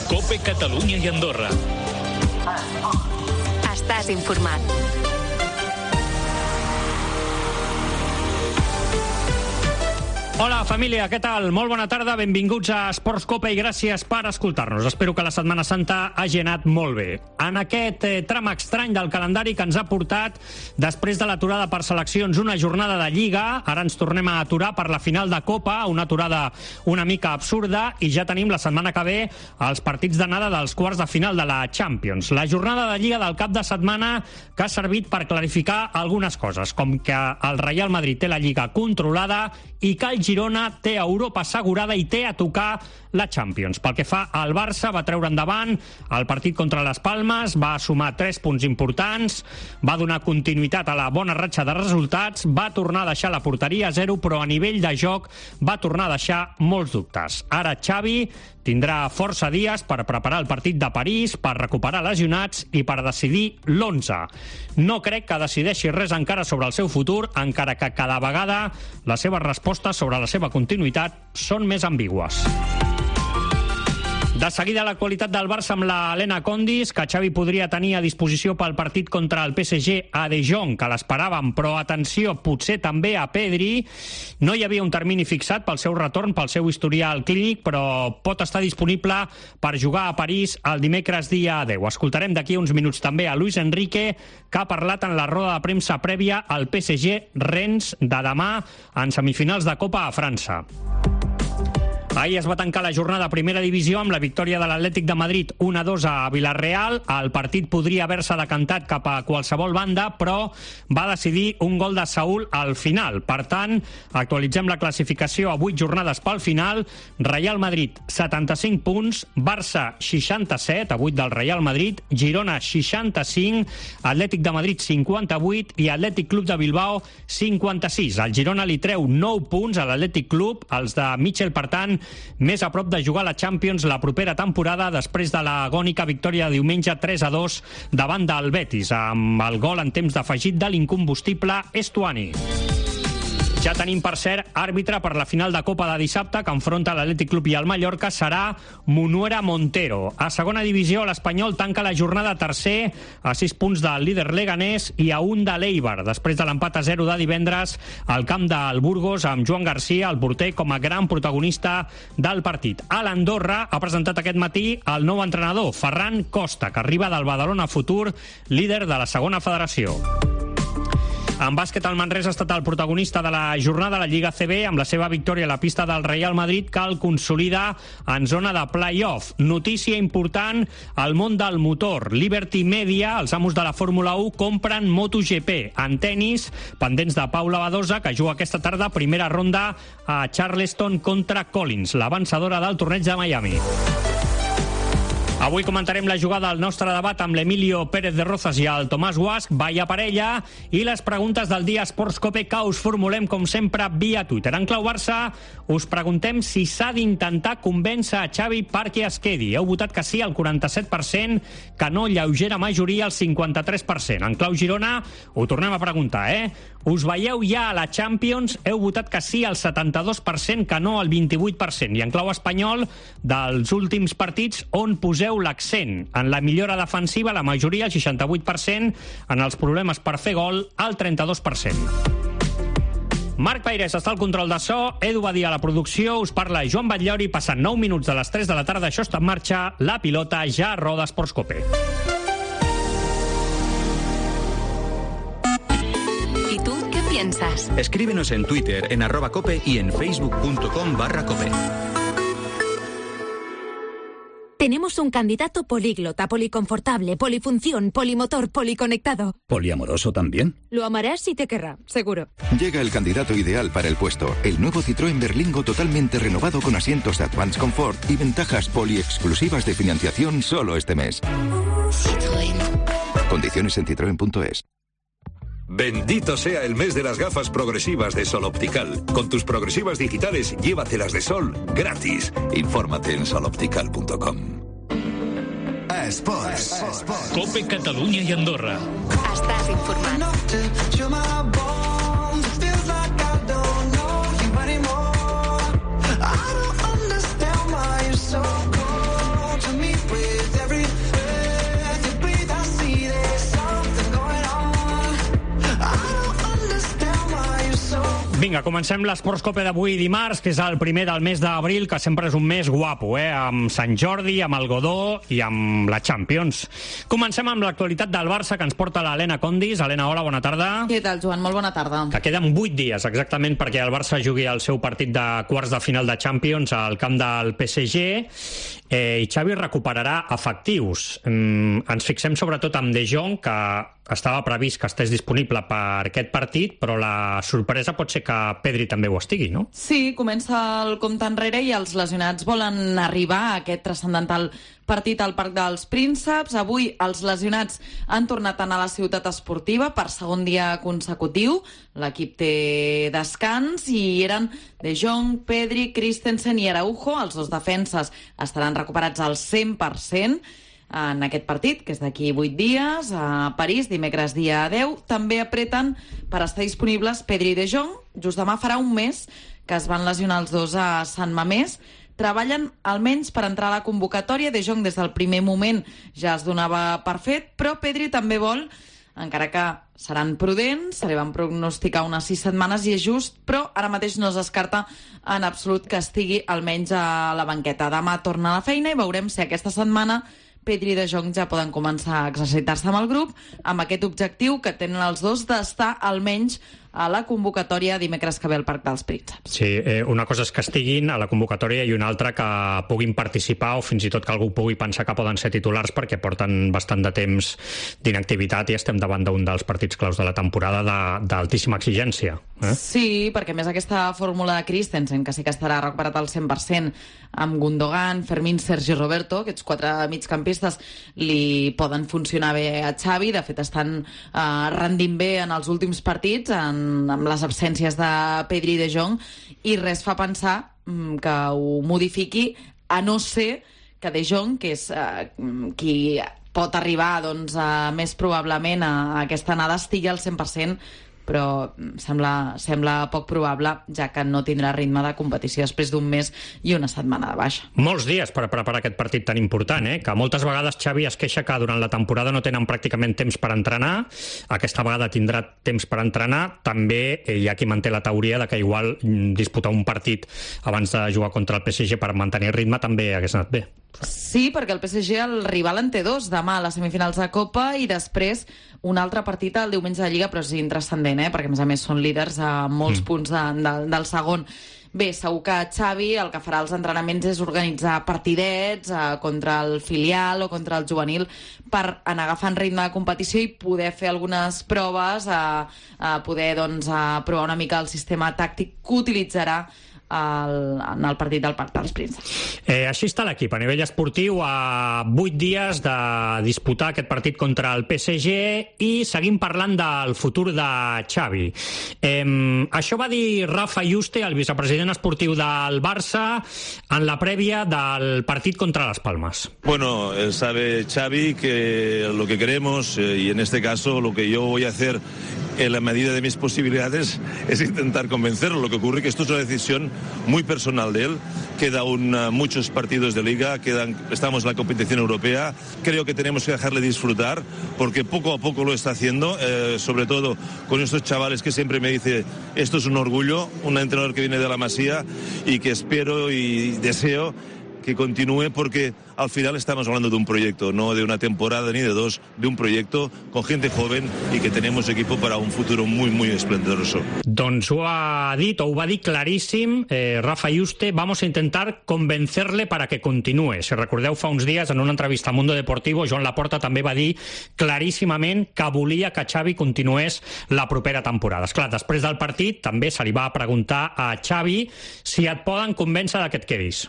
COPE Catalunya i Andorra. Estàs informat. Hola, família, què tal? Molt bona tarda, benvinguts a Esports Cope i gràcies per escoltar-nos. Espero que la Setmana Santa hagi anat molt bé. En aquest tram estrany del calendari que ens ha portat, després de l'aturada per seleccions, una jornada de Lliga, ara ens tornem a aturar per la final de Copa, una aturada una mica absurda, i ja tenim la setmana que ve els partits d'anada dels quarts de final de la Champions. La jornada de Lliga del cap de setmana que ha servit per clarificar algunes coses, com que el Real Madrid té la Lliga controlada i que el Girona té Europa assegurada i té a tocar la Champions. Pel que fa al Barça, va treure endavant el partit contra les Palmes, va sumar 3 punts importants, va donar continuïtat a la bona ratxa de resultats, va tornar a deixar la porteria a 0, però a nivell de joc va tornar a deixar molts dubtes. Ara Xavi tindrà força dies per preparar el partit de París, per recuperar lesionats i per decidir l'11. No crec que decideixi res encara sobre el seu futur, encara que cada vegada les seves respostes sobre la seva continuïtat són més ambigües. De seguida, l'actualitat del Barça amb la Helena Condis, que Xavi podria tenir a disposició pel partit contra el PSG a De Jong, que l'esperàvem, però atenció, potser també a Pedri. No hi havia un termini fixat pel seu retorn, pel seu historial clínic, però pot estar disponible per jugar a París el dimecres dia 10. Escoltarem d'aquí uns minuts també a Luis Enrique, que ha parlat en la roda de premsa prèvia al PSG-Rennes de demà en semifinals de Copa a França. Ahir es va tancar la jornada a Primera Divisió amb la victòria de l'Atlètic de Madrid 1-2 a Vilareal. El partit podria haver-se decantat cap a qualsevol banda, però va decidir un gol de Saúl al final. Per tant, actualitzem la classificació a 8 jornades pel final. Real Madrid, 75 punts, Barça, 67, a 8 del Real Madrid, Girona, 65, Atlètic de Madrid, 58 i Atlètic Club de Bilbao, 56. El Girona li treu 9 punts a l'Atlètic Club, els de Michel, per tant, més a prop de jugar a la Champions la propera temporada després de l'agònica victòria de diumenge 3-2 davant del Betis, amb el gol en temps d'afegit de l'incombustible Estuani. Ja tenim, per cert, àrbitre per la final de Copa de dissabte, que enfronta l'Atlètic Club i el Mallorca, serà Munuera Montero. A segona divisió, l'Espanyol tanca la jornada tercer a 6 punts del líder leganès i a 1 de l'Eibar, després de l'empat a 0 de divendres al camp del Burgos, amb Joan Garcia, el porter, com a gran protagonista del partit. A l'Andorra ha presentat aquest matí el nou entrenador, Ferran Costa, que arriba del Badalona Futur, líder de la segona federació. En bàsquet, el Manresa ha estat el protagonista de la jornada a la Lliga CB amb la seva victòria a la pista del Real Madrid, que el consolida en zona de play-off. Notícia important al món del motor. Liberty Media, els amos de la Fórmula 1, compren MotoGP. En tenis, pendents de Paula Badosa, que juga aquesta tarda primera ronda a Charleston contra Collins, la vencedora del torneig de Miami. Avui comentarem la jugada al nostre debat amb l'Emilio Pérez de Rozas i el Tomàs Guasch, vaya parella, i les preguntes del dia Esports Cope que us formulem, com sempre, via Twitter. En clau Barça, us preguntem si s'ha d'intentar convèncer a Xavi perquè es quedi. Heu votat que sí al 47%, que no, lleugera majoria al 53%. En clau Girona, ho tornem a preguntar, Us veieu ja a la Champions? Heu votat que sí al 72%, que no al 28%. I en clau espanyol, dels últims partits, on poseu l'accent? En la millora defensiva, la majoria, el 68%, en els problemes per fer gol, el 32%. Marc Pairés està al control de so, Edu Badia a la producció, us parla Joan Batllori, passant 9 minuts de les 3 de la tarda, això està en marxa, la pilota ja roda Esports Cope. ¿Y tú qué piensas? Escríbenos en Twitter, en @cope y en facebook.com/cope. Tenemos un candidato políglota, policonfortable, polifunción, polimotor, policonectado. ¿Poliamoroso también? Lo amarás y te querrá, seguro. Llega el candidato ideal para el puesto. El nuevo Citroën Berlingo totalmente renovado con asientos de Advanced Comfort y ventajas poliexclusivas de financiación solo este mes. Citroën. Condiciones en citroen.es. Bendito sea el mes de las gafas progresivas de Sol Optical. Con tus progresivas digitales, llévatelas de sol gratis. Infórmate en soloptical.com. Esports. COPE Catalunya i Andorra. Estàs informat. I don't understand why you're so cold. Vinga, comencem l'Esports Cope d'avui dimarts, que és el primer del mes d'abril, que sempre és un mes guapo, amb Sant Jordi, amb el Godó i amb la Champions. Comencem amb l'actualitat del Barça, que ens porta l'Helena Condis. Helena, hola, bona tarda. Què tal, Joan? Molt bona tarda. Que queden 8 dies, exactament, perquè el Barça jugui el seu partit de quarts de final de Champions al camp del PSG, i Xavi recuperarà efectius. Ens fixem sobretot amb De Jong, que estava previst que estés disponible per aquest partit, però la sorpresa pot ser que Pedri també ho estigui, no? Sí, comença el compte enrere i els lesionats volen arribar a aquest transcendental partit al Parc dels Prínceps. Avui els lesionats han tornat a anar a la ciutat esportiva per segon dia consecutiu. L'equip té descans i eren De Jong, Pedri, Christensen i Araujo. Els dos defenses estaran recuperats al 100% en aquest partit, que és d'aquí 8 dies, a París, dimecres dia 10. També apreten per estar disponibles Pedri i De Jong. Just demà farà un mes que es van lesionar els dos a Sant Mamés. Treballen almenys per entrar a la convocatòria. De Jong des del primer moment ja es donava per fet, però Pedri també vol, encara que seran prudents, se li van prognosticar unes 6 setmanes i és just, però ara mateix no es descarta en absolut que estigui almenys a la banqueta. Demà torna a la feina i veurem si aquesta setmana Pedri i De Jong ja poden començar a exercitar-se amb el grup, amb aquest objectiu que tenen els dos d'estar almenys a la convocatòria dimecres que ve al Parc dels Prínceps. Sí, una cosa és que estiguin a la convocatòria i una altra que puguin participar o fins i tot que algú pugui pensar que poden ser titulars perquè porten bastant de temps d'inactivitat i estem davant d'un dels partits claus de la temporada d'altíssima exigència. Sí, perquè més aquesta fórmula de Christensen, que sí que estarà recuperat al 100%, amb Gundogan, Fermín, Sergi Roberto, aquests 4 migcampistes li poden funcionar bé a Xavi. De fet, estan rendint bé en els últims partits, amb les absències de Pedri i De Jong, i res fa pensar que ho modifiqui, a no ser que De Jong, que és qui pot arribar més probablement a aquesta anada, estigui al 100%, però sembla poc probable, ja que no tindrà ritme de competició després d'un mes i una setmana de baixa. Molts dies per preparar aquest partit tan important, que moltes vegades Xavi es queixa que durant la temporada no tenen pràcticament temps per entrenar. Aquesta vegada tindrà temps per entrenar. També hi ha qui manté la teoria de que igual disputar un partit abans de jugar contra el PSG per mantenir ritme també hagués anat bé. Sí, perquè el PSG, el rival en té 2, demà a les semifinals de Copa i després un altre partit el diumenge de Lliga, però és intranscendent, perquè a més són líders a molts punts del segon. Bé, segur que Xavi el que farà als entrenaments és organitzar partidets contra el filial o contra el juvenil per anar agafant ritme de competició i poder fer algunes proves, poder provar una mica el sistema tàctic que utilitzarà en el partit del Parc dels Prínceps. Així està l'equip a nivell esportiu a 8 dies de disputar aquest partit contra el PSG i seguim parlant del futur de Xavi. Això va dir Rafa Yuste, el vicepresident esportiu del Barça, en la prèvia del partit contra Las Palmas. Bueno, sabe Xavi que lo que queremos, y en este caso lo que yo voy a hacer en la medida de mis posibilidades es intentar convencerlo. Lo que ocurre es que esto es una decisión muy personal de él. Quedan muchos partidos de liga, estamos en la competición europea. Creo que tenemos que dejarle disfrutar porque poco a poco lo está haciendo, sobre todo con estos chavales que siempre me dice esto es un orgullo, un entrenador que viene de la Masía y que espero y deseo que continúe porque al final estamos hablando de un proyecto, no de una temporada ni de 2, de un proyecto con gente joven y que tenemos equipo para un futuro muy, muy esplendoroso. Doncs ho ha dit, o ho va dir claríssim Rafa Yuste. Vamos a intentar convencerle para que continúe. Si recordeu, fa uns dies en una entrevista a Mundo Deportivo, Joan Laporta també va dir claríssimament que volia que Xavi continués la propera temporada. Esclar, després del partit també se li va preguntar a Xavi si et poden convèncer de que et quedis.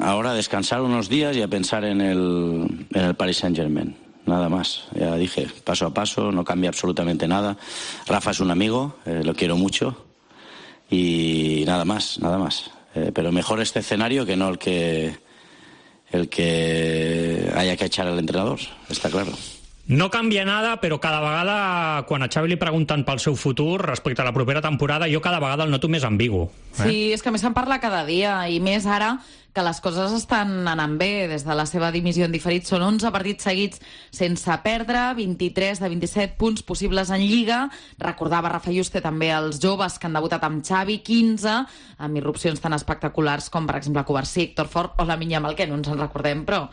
Ahora descansar unos días y a pensar en el Paris Saint-Germain. Nada más. Ya dije, paso a paso, no cambia absolutamente nada. Rafa es un amigo, lo quiero mucho y nada más. Pero mejor este escenario que no el que haya que echar al entrenador, está claro. No canvia nada, però cada vegada, quan a Xavi li pregunten pel seu futur respecte a la propera temporada, jo cada vegada el noto més ambigu. Sí, és que a més se'n parla cada dia, i més ara que les coses estan anant bé des de la seva dimissió en diferit. Són 11 partits seguits sense perdre, 23 de 27 punts possibles en Lliga. Recordava Rafa Yuste també els joves que han debutat amb Xavi, 15, amb irrupcions tan espectaculars com, per exemple, Covarsí, Héctor Fort o Lamine Yamal, que no ens en recordem, però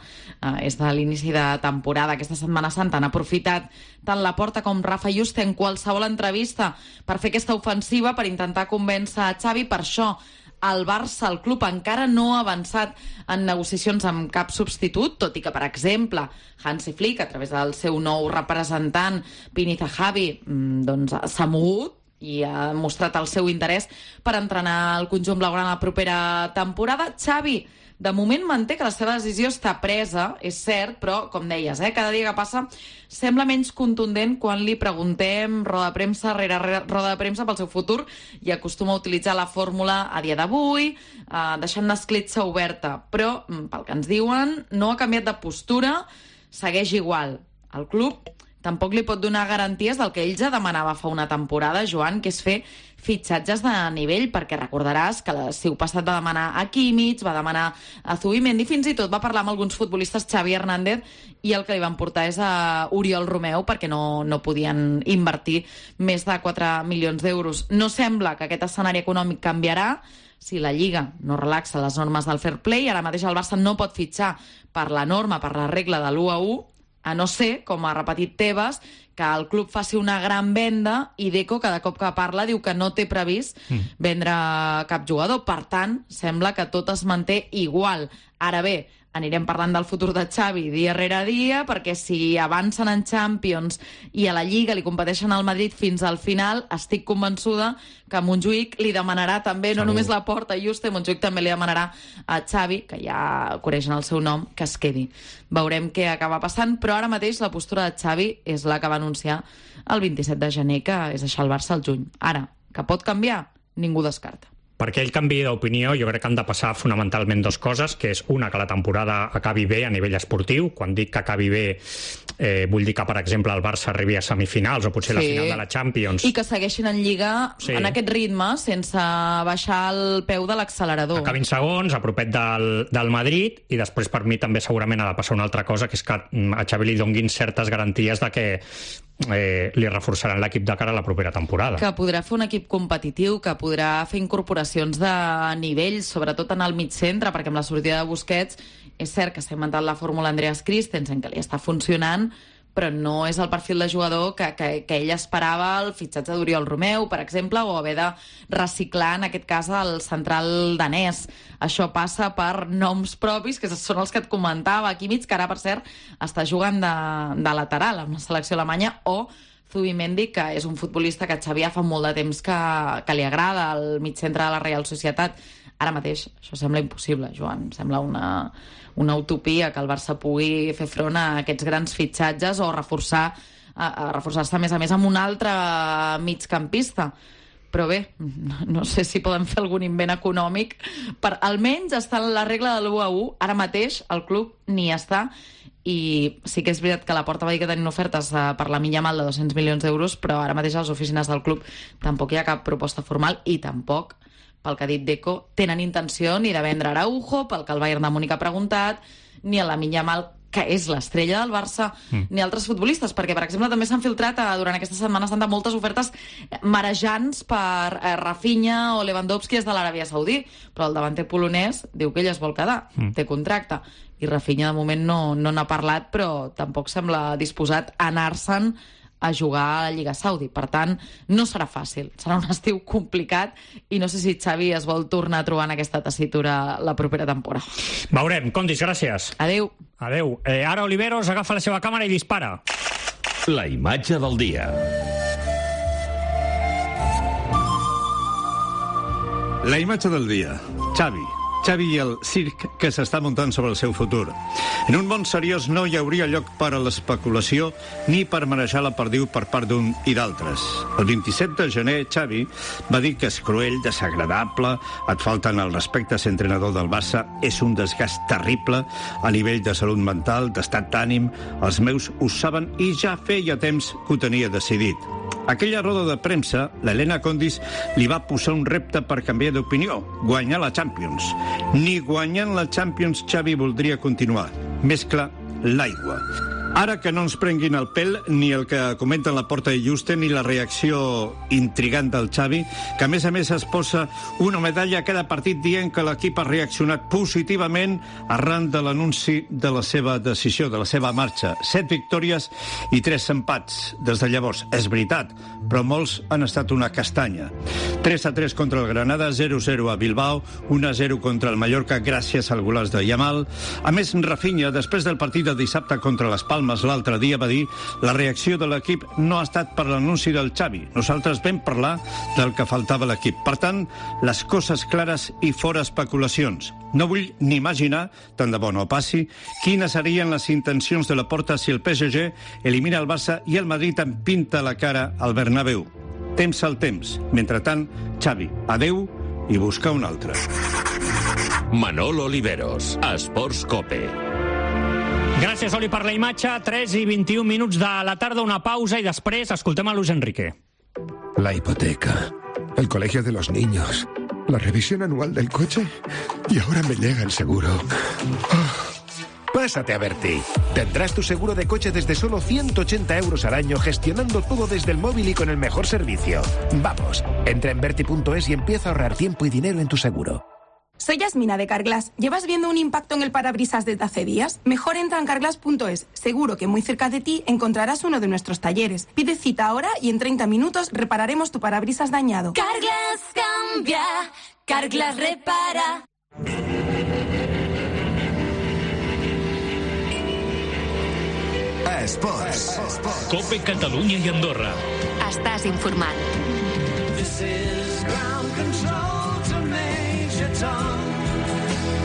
és de l'inici de temporada. Aquesta Setmana Santa han aprofitat tant la Porta com Rafa Yuste en qualsevol entrevista per fer aquesta ofensiva, per intentar convèncer a Xavi. Per això el Barça, el club, encara no ha avançat en negociacions amb cap substitut, tot i que, per exemple, Hansi Flick, a través del seu nou representant, Pini Zahavi, doncs s'ha mogut i ha mostrat el seu interès per entrenar el conjunt blaugrana la propera temporada. Xavi, de moment, manté que la seva decisió està presa, és cert, però, com deies, cada dia que passa sembla menys contundent quan li preguntem roda de premsa rere roda de premsa pel seu futur, i acostuma a utilitzar la fórmula a dia d'avui, deixant l'escletxa oberta. Però, pel que ens diuen, no ha canviat de postura, segueix igual. El club tampoc li pot donar garanties del que ell ja demanava fa una temporada, Joan, que és fer fitxatges de nivell, perquè recordaràs que l'estiu passat va demanar a Kimmich, va demanar a Zubimendi, fins i tot va parlar amb alguns futbolistes, Xavi Hernández, i el que li van portar és a Oriol Romeu, perquè no podien invertir més de 4 milions d'euros. No sembla que aquest escenari econòmic canviarà si la Lliga no relaxa les normes del fair play. Ara mateix el Barça no pot fitxar per la norma, per la regla de l'1-1, a no ser, com ha repetit Tebas, que el club faci una gran venda, i Deco, cada cop que parla, diu que no té previst vendre cap jugador. Per tant, sembla que tot es manté igual. Ara bé, anirem parlant del futur de Xavi dia rere dia, perquè si avancen en Champions i a la Lliga li competeixen al Madrid fins al final, estic convençuda que Montjuïc li demanarà també, no només la Porta i Yuste, Montjuïc també li demanarà a Xavi, que ja coneixen el seu nom, que es quedi. Veurem què acaba passant, però ara mateix la postura de Xavi és la que va anunciar el 27 de gener, que és deixar el Barça al juny. Ara, que pot canviar, ningú descarta. Perquè ell canviï d'opinió, jo crec que han de passar fonamentalment dues coses, que és una, que la temporada acabi bé a nivell esportiu. Quan dic que acabi bé, vull dir que, per exemple, el Barça arribi a semifinals o potser la final de la Champions. I que segueixin en Lliga en aquest ritme, sense baixar el peu de l'accelerador. Acabin segons, a propet del Madrid, i després per mi també segurament ha de passar una altra cosa, que és que a Xavi li donguin certes garanties de que li reforçaran l'equip de cara a la propera temporada. Que podrà fer un equip competitiu, que podrà fer incorporacions de nivell, sobretot en el mig centre, perquè amb la sortida de Busquets és cert que s'ha inventat la fórmula Andreas Christensen, que li està funcionant, però no és el perfil de jugador que ell esperava, el fitxatge d'Oriol Romeu, per exemple, o haver de reciclar, en aquest cas, el central danès. Això passa per noms propis, que són els que et comentava, Kimmich, que ara, per cert, està jugant de lateral amb la selecció alemanya, o Zubimendi, que és un futbolista que Xavi fa molt de temps que li agrada, al mig centre de la Real Societat. Ara mateix això sembla impossible, Joan. Sembla una utopia que el Barça pugui fer front a aquests grans fitxatges o reforçar-se a més amb un altre migcampista. Però bé, no sé si poden fer algun invent econòmic per almenys estar en la regla de l'1-1. Ara mateix el club ni està, i sí que és veritat que la Porta va dir que tenien ofertes per la Yamal de 200 milions d'euros, però ara mateix a les oficines del club tampoc hi ha cap proposta formal, i tampoc, pel que ha dit Deco, tenen intenció ni de vendre Araujo, pel que el Bayern de Múnich ha preguntat, ni a Lamine Yamal, que és l'estrella del Barça, ni altres futbolistes, perquè, per exemple, també s'han filtrat durant aquesta Setmana Santa moltes ofertes marejants per Rafinha o Lewandowski des de l'Aràbia Saudí, però el davanter polonès diu que ell es vol quedar, té contracte, i Rafinha de moment no n'ha parlat, però tampoc sembla disposat a anar-se'n a jugar a la Lliga Saudi. Per tant, no serà fàcil. Serà un estiu complicat, i no sé si Xavi es vol tornar a trobar en aquesta tessitura la propera temporada. Veurem. Condis, gràcies. Adéu. Adéu. Ara Oliveros agafa la seva càmera i dispara. La imatge del dia. La imatge del dia. Xavi i el circ que s'està muntant sobre el seu futur. En un món seriós no hi hauria lloc per a l'especulació ni per manejar la perdiu per part d'un i d'altres. El 27 de gener, Xavi va dir que és cruel, desagradable, et falten el respecte a ser entrenador del Barça, és un desgast terrible a nivell de salut mental, d'estat d'ànim, els meus ho saben i ja feia temps que ho tenia decidit. Aquella roda de premsa, l'Helena Condis li va posar un repte per canviar d'opinió, guanyar la Champions. Ni guanyant la Champions Xavi voldria continuar. Més clar, l'aigua. Ara que no ens prenguin el pèl ni el que comenten la Porta i Juste ni la reacció intrigant del Xavi, que a més es posa una medalla a cada partit dient que l'equip ha reaccionat positivament arran de l'anunci de la seva decisió, de la seva marxa. 7 victòries i 3 empats des de llavors. És veritat, però molts han estat una castanya. 3-3 contra el Granada, 0-0 a Bilbao, 1-0 contra el Mallorca gràcies al golaç de Yamal. A més, Rafinha, després del partit de dissabte contra les Palmes l'altre dia, va dir: la reacció de l'equip no ha estat per l'anunci del Xavi. Nosaltres vam parlar del que faltava a l'equip. Per tant, les coses clares i fora especulacions. No vull ni imaginar, tant de bo no passi, quines serien les intencions de la Porta si el PSG elimina el Barça i el Madrid en pinta la cara al Bernabéu. Temps al temps. Mentrestant, Xavi, adeu i buscar un altre. Manolo Oliveros, Esports Cope. Gràcies, Oli, per la imatge. 3 i 21 minuts de la tarda, una pausa i després escoltem a Luis Enrique. La hipoteca, el colegio de los niños, la revisión anual del coche y ahora me llega el seguro. Pásate a Berti. Tendrás tu seguro de coche desde solo 180 euros al año, gestionando todo desde el móvil y con el mejor servicio. Vamos, entra en Berti.es y empieza a ahorrar tiempo y dinero en tu seguro. Soy Yasmina de Carglass. ¿Llevas viendo un impacto en el parabrisas desde hace días? Mejor entra en carglass.es. Seguro que muy cerca de ti encontrarás uno de nuestros talleres. Pide cita ahora y en 30 minutos repararemos tu parabrisas dañado. Carglass cambia, Carglass repara. Esports. Cope Catalunya i Andorra. Estàs informat. This is ground control to Major Tom.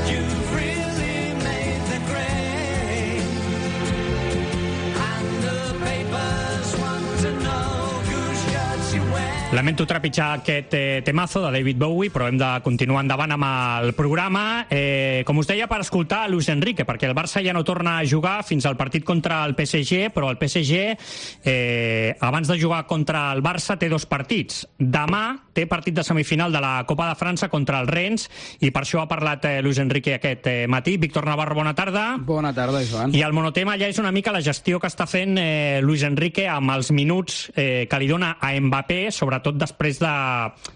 You've really made the grade. And the papers want to know whose shirts you wear. Lamento trepitjar aquest temazo de David Bowie, però hem de continuar endavant amb el programa. Com us deia, per escoltar Luis Enrique, perquè el Barça ja no torna a jugar fins al partit contra el PSG, però el PSG, abans de jugar contra el Barça, té 2 partits. Demà té partit de semifinal de la Copa de França contra el Rennes, i per això ha parlat Luis Enrique aquest matí. Víctor Navarro, bona tarda. Bona tarda, Joan. I el monotema ja és una mica la gestió que està fent Luis Enrique amb els minuts que li dona a Mbappé, sobretot després de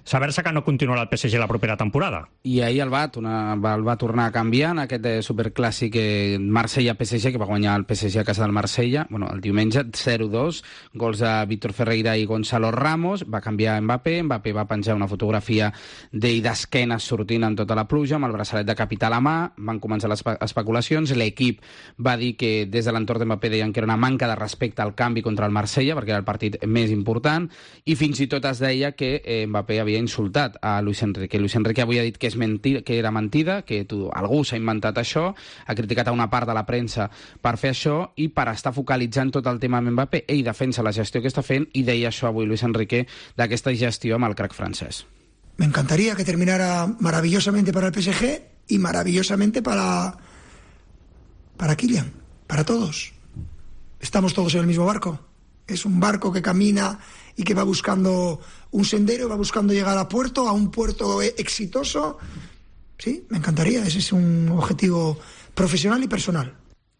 saber-se que no continuarà el PSG la propera temporada. I ahir el va tornar a canviar en aquest superclàssic Marsella-PSG, que va guanyar el PSG a casa del Marsella, el diumenge, 0-2, gols de Víctor Ferreira i Gonzalo Ramos. Va canviar Mbappé va penjar una fotografia d'ell d'esquenes sortint en tota la pluja, amb el braçalet de capità a la mà. Van començar les especulacions. L'equip va dir que des de l'entorn d'Mbappé deien que era una manca de respecte al canvi contra el Marsella, perquè era el partit més important, i fins i tot es deia que Mbappé havia insultat a Luis Enrique. Luis Enrique avui ha dit que és mentida, que era mentida, que algú s'ha inventat això, ha criticat a una part de la premsa per fer això i per estar focalitzant tot el tema amb Mbappé. Ell defensa la gestió que està fent i deia això avui Luis Enrique d'aquesta gestió amb el crack francés. Me encantaría que terminara maravillosamente para el PSG y maravillosamente para Kylian, para todos. Estamos todos en el mismo barco. Es un barco que camina y que va buscando un sendero, va buscando llegar a un puerto exitoso. Sí, me encantaría. Ese es un objetivo profesional y personal.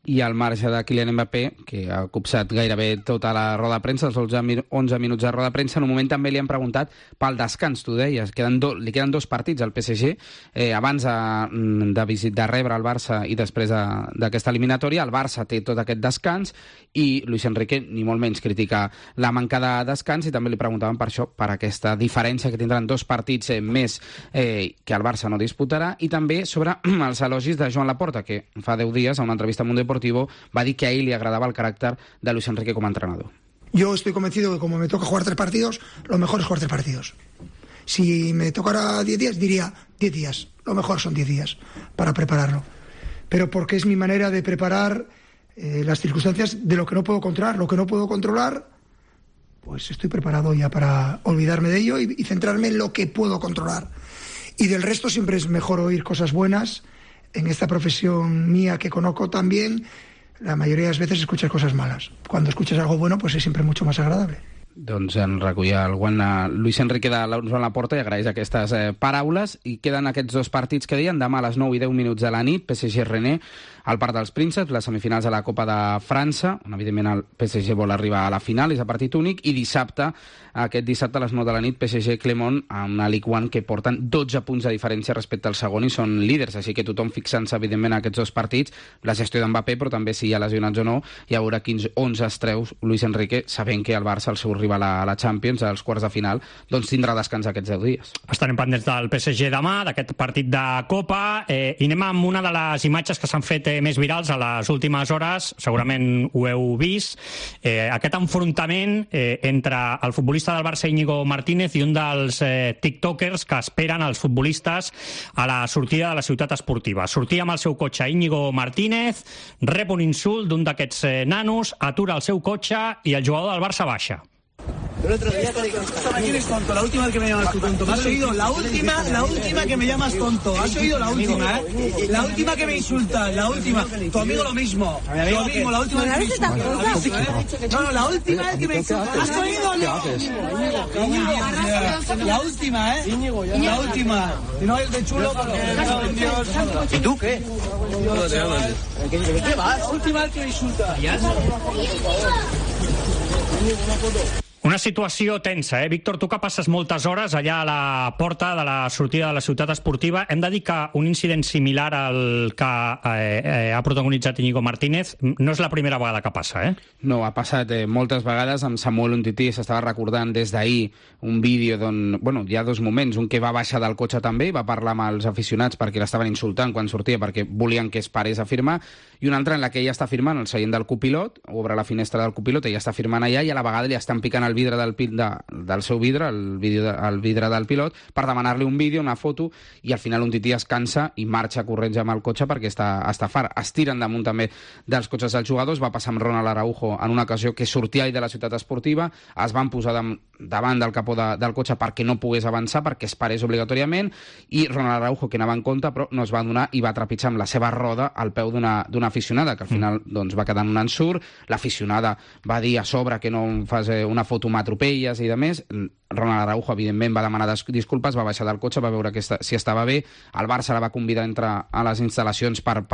I al marge de Kylian Mbappé, que ha copsat gairebé tota la roda de premsa, els 11 minuts de roda de premsa, en un moment també li han preguntat pel descans, tu deies, li queden 2 partits al PSG, abans de rebre el Barça i després d'aquesta eliminatòria. El Barça té tot aquest descans i Luis Enrique ni molt menys critica la manca de descans, i també li preguntaven per això, per aquesta diferència que tindran 2 partits més que el Barça no disputarà, i també sobre els elogis de Joan Laporta, que fa 10 dies, a una entrevista a Mundo Deportivo, va dir que a ell li agradava el caràcter de Luis Enrique como entrenador. Yo estoy convencido que como me toca jugar 3 partidos, lo mejor es jugar 3 partidos. Si me tocara 10 días, diría 10 días. Lo mejor son 10 días para prepararlo. Pero porque es mi manera de preparar las circunstancias de lo que no puedo controlar. Lo que no puedo controlar, pues estoy preparado ya para olvidarme de ello y centrarme en lo que puedo controlar. Y del resto siempre es mejor oír cosas buenas. En esta profesión mía que conozco también, la mayoría de las veces escuchas cosas malas. Cuando escuchas algo bueno, pues es siempre mucho más agradable. Doncs en recollia el guant Luis Enrique de la Porta i agraeix aquestes paraules. I queden aquests dos partits que deien demà a les 9 i 10 minuts de la nit, PSG-Rennes al Parc dels Prínceps, les semifinals de la Copa de França, on evidentment el PSG vol arribar a la final, és a partit únic, i aquest dissabte a les 9 de la nit, PSG-Clermont, amb una Ligue 1 que porten 12 punts de diferència respecte al segon i són líders, així que tothom fixant-se evidentment en aquests dos partits, la gestió d'Mbappé, però també si hi ha lesionats o no, i a veure quins 11 es treu Luis Enrique, sabent que el Barça, el seu rival a la Champions, als quarts de final, doncs tindrà descans aquests 10 dies. Estarem pendents del PSG demà, d'aquest partit de Copa, i anem amb una de les imatges que s'han fet més virals a les últimes hores, segurament ho heu vist, aquest enfrontament entre el futbolista del Barça Íñigo Martínez i un dels tiktokers que esperen els futbolistes a la sortida de la ciutat esportiva. Sortia amb el seu cotxe Íñigo Martínez, rep un insult d'un d'aquests nanos, atura el seu cotxe i el jugador del Barça baixa. El otro día ¿quién es tonto? La última vez que me llamas tú tonto. ¿Me has oído? La última que me llamas tonto. ¿Has oído la última, La última que me insultas, la última. Tu amigo lo mismo. Lo mismo, la última vez que me insultas. No, la última vez que me insultas. ¿Has oído o no? La última, La última. Y no es de chulo porque... Dios. ¿Y tú qué? ¿De qué vas? La última vez que me insultas. Una situació tensa, Víctor, tu que passes moltes hores allà a la porta de la sortida de la ciutat esportiva. Hem de dir que un incident similar al que ha protagonitzat Íñigo Martínez no és la primera vegada que passa, No, ha passat moltes vegades. Amb Samuel Umtiti s'estava recordant des d'ahir un vídeo d'on, hi ha dos moments, un que va baixar del cotxe també i va parlar amb els aficionats perquè l'estaven insultant quan sortia, perquè volien que es parés a firmar, i una altra en la que ella està firmant el seient del copilot, obre la finestra del copilot, ella està firmant allà i a la vegada li estan picant el vidre del seu vidre, el vidre del pilot, per demanar-li un vídeo, una foto, i al final un tití es cansa i marxa corrents amb el cotxe perquè està fart. Es tiren damunt també dels cotxes dels jugadors. Va passar amb Ronald Araujo en una ocasió que sortia ell de la ciutat esportiva, es van posar davant del capó del cotxe perquè no pogués avançar, perquè es parés obligatòriament, i Ronald Araujo, que anava en compte, però no es va donar i va trepitjar amb la seva roda al peu d'una aficionada, que al final va quedar en un ensurt. L'aficionada va dir a sobre que no fas una foto amb atropelles i de més. Ronald Araujo, evidentment, va demanar disculpes, va baixar del cotxe, va veure si estava bé. El Barça la va convidar a entrar a les instal·lacions per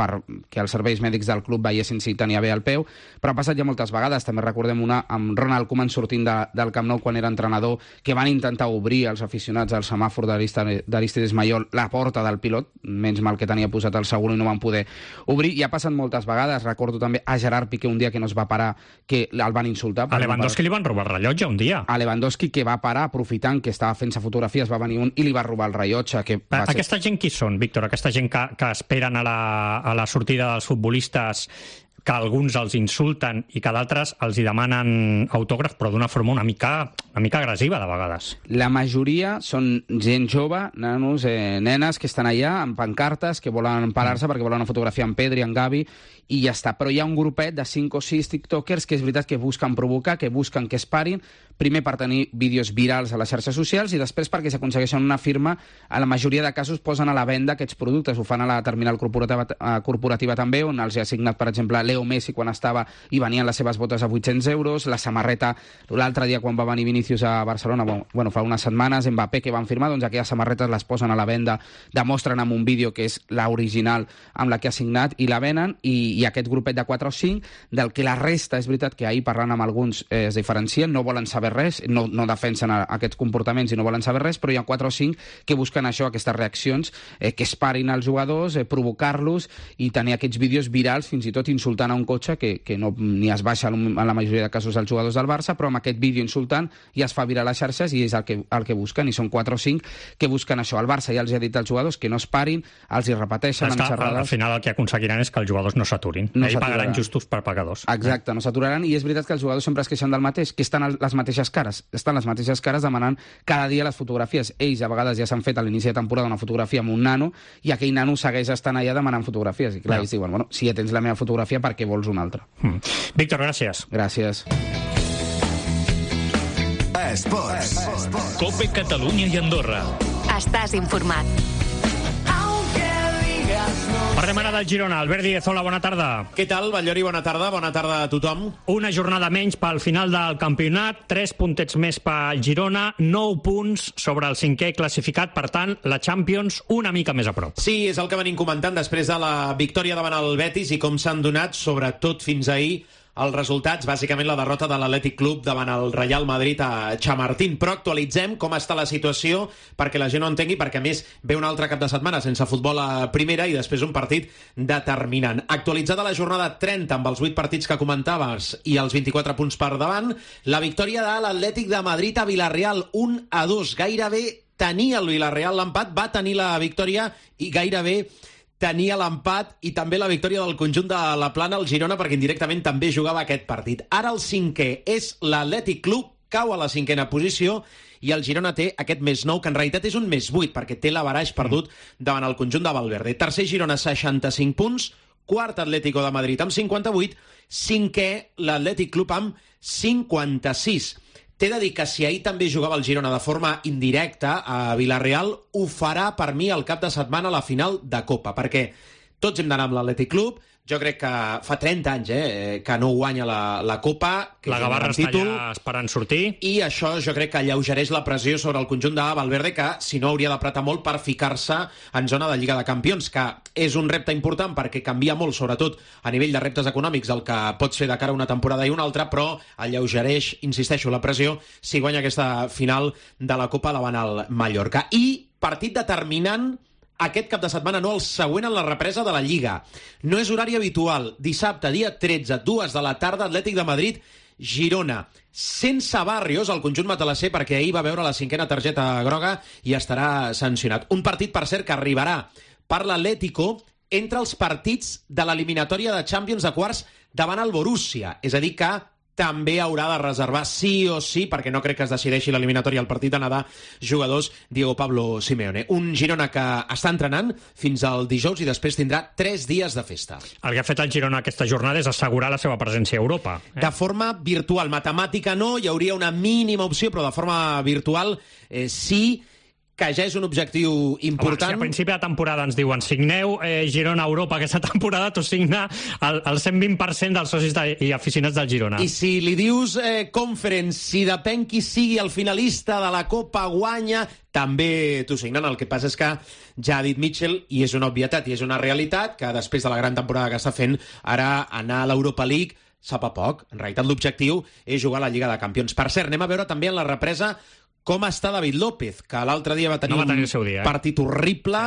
que els serveis mèdics del club veiessin si tenia bé el peu, però ha passat ja moltes vegades. També recordem una amb Ronald Koeman sortint del Camp Nou quan era entrenador, que van intentar obrir els aficionats al semàfor d'Aristides Maillol la porta del pilot, menys mal que tenia posat el seguro i no van poder obrir, i ha passat moltes vegades. Recordo també a Gerard Piqué un dia que no es va parar, que el van insultar. A Lewandowski li van robar el rellotge un dia. A Lewandowski, que va parar aprofitant que estava fent-se fotografies, va venir un i li va robar el rellotge. Aquesta gent qui són, Víctor? Aquesta gent que esperen a la sortida dels futbolistes, que alguns els insulten i que d'altres els hi demanen autògraf, però d'una forma una mica agressiva, de vegades. La majoria són gent jove, nanos, nenes, que estan allà amb pancartes, que volen parar-se perquè volen una fotografia amb Pedri, amb Gavi, i ja està. Però hi ha un grupet de 5 o 6 tiktokers que és veritat que busquen provocar, que busquen que es parin, primer per tenir vídeos virals a les xarxes socials i després perquè s'aconsegueixen una firma. A la majoria de casos posen a la venda aquests productes, ho fan a la terminal corporativa també, on els ha assignat, per exemple, Leo Messi quan estava i venien les seves botes a 800 euros, la samarreta, l'altre dia quan va venir Vinícius a Barcelona, fa unes setmanes, Mbappé, que van firmar, doncs aquelles samarretes les posen a la venda, demostren amb un vídeo que és l'original amb la que ha signat i la venen, i aquest grupet de 4 o 5, del que la resta, és veritat que ahir parlant amb alguns es diferencien, no volen saber res, no defensen aquests comportaments i no volen saber res, però hi ha 4 o 5 que busquen això, aquestes reaccions, que es parin els jugadors, provocar-los i tenir aquests vídeos virals, fins i tot insultant a un cotxe que no, ni es baixa en la majoria de casos els jugadors del Barça, però amb aquest vídeo insultant ja es fa viral a les xarxes i és el que busquen, i són 4 o 5 que busquen això. El Barça ja els ha dit als jugadors que no es parin, els hi repeteixen amb xerrades. Al final el que aconseguiran és que els jugadors no s'aturin. Ells pagaran justos per pagadors. Exacte, no s'aturaran, i és veritat que els jugadors sempre es queixen del mateix, que estan les mateixes cares. Estan les mateixes cares demanant cada dia les fotografies. Ells a vegades ja s'han fet a l'inici de temporada una fotografia amb un nano i aquell nano segueix estant allà demanant fotografies. I clar, ells diuen, bueno, si ja tens la meva fotografia, per què vols una altra? Víctor, gràcies. Gràcies. Esports. COPE Catalunya i Andorra. Estàs informat. Parlem setmana del Girona. Albert Díez, hola, bona tarda. Què tal, Batllori? Bona tarda a tothom. Una jornada menys pel final del campionat, 3 puntets més pel Girona, 9 punts sobre el 5è classificat, per tant, la Champions una mica més a prop. Sí, és el que venim comentant després de la victòria davant el Betis i com s'han donat, sobretot fins ahir, els resultats, bàsicament la derrota de l'Atlètic Club davant el Real Madrid a Chamartín. Però actualitzem com està la situació perquè la gent ho entengui, perquè a més ve un altre cap de setmana sense futbol a primera i després un partit determinant. Actualitzada la jornada 30 amb els 8 partits que comentaves i els 24 punts per davant, la victòria de l'Atlètic de Madrid a Villarreal, 1-2. Gairebé tenia el Villarreal l'empat, va tenir la victòria i gairebé tenia l'empat i també la victòria del conjunt de la Plana al Girona, perquè indirectament també jugava aquest partit. Ara el 5è és l'Atlètic Club, cau a la 5a posició i el Girona té aquest més 9, que en realitat és un més 8, perquè té l'averaix perdut davant el conjunt de Valverde. Tercer Girona, 65 punts, quart Atlético de Madrid amb 58, 5è l'Atlètic Club amb 56. T'he de dir que si ahir també jugava el Girona de forma indirecta a Villarreal, ho farà per mi el cap de setmana a la final de Copa, perquè tots hem d'anar amb l'Atlètic Club. Jo crec que fa 30 anys que no guanya la Copa, que la Gavarra està allà esperant sortir, i això jo crec que alleugereix la pressió sobre el conjunt de Valverde, que si no hauria d'apretar molt per ficar-se en zona de Lliga de Campions, que és un repte important perquè canvia molt, sobretot a nivell de reptes econòmics, el que pots fer de cara a una temporada i una altra, però alleugereix, insisteixo, la pressió si guanya aquesta final de la Copa davant el Mallorca. I partit determinant aquest cap de setmana, no el següent, en la represa de la Lliga. No és horari habitual. Dissabte, dia 13, 2 de la tarda, Atlètic de Madrid, Girona. Sense Barrios, el conjunt matalasser, perquè ahir va veure la 5a targeta groga i estarà sancionat. Un partit, per cert, que arribarà per l'Atlético entre els partits de l'eliminatòria de Champions de quarts davant el Borussia. És a dir, que també haurà de reservar sí o sí, perquè no crec que es decideixi l'eliminatòria al partit d'anada, jugadors Diego Pablo Simeone. Un Girona que està entrenant fins al dijous i després tindrà 3 dies de festa. El que ha fet el Girona aquesta jornada és assegurar la seva presència a Europa. De forma virtual, matemàtica no, hi hauria una mínima opció, però de forma virtual sí, que ja és un objectiu important. Home, si a principi de temporada ens diuen signeu Girona Europa aquesta temporada, tu signa el 120% dels socis i aficionats del Girona. I si li dius Conference, si depèn qui sigui el finalista de la Copa guanya, també t'ho signen. El que passa és que ja ha dit Mitchell, i és una obvietat i és una realitat, que després de la gran temporada que està fent, ara anar a l'Europa League sap a poc. En realitat l'objectiu és jugar a la Lliga de Campions. Per cert, anem a veure també en la represa com està David López, que l'altre dia va tenir un partit horrible,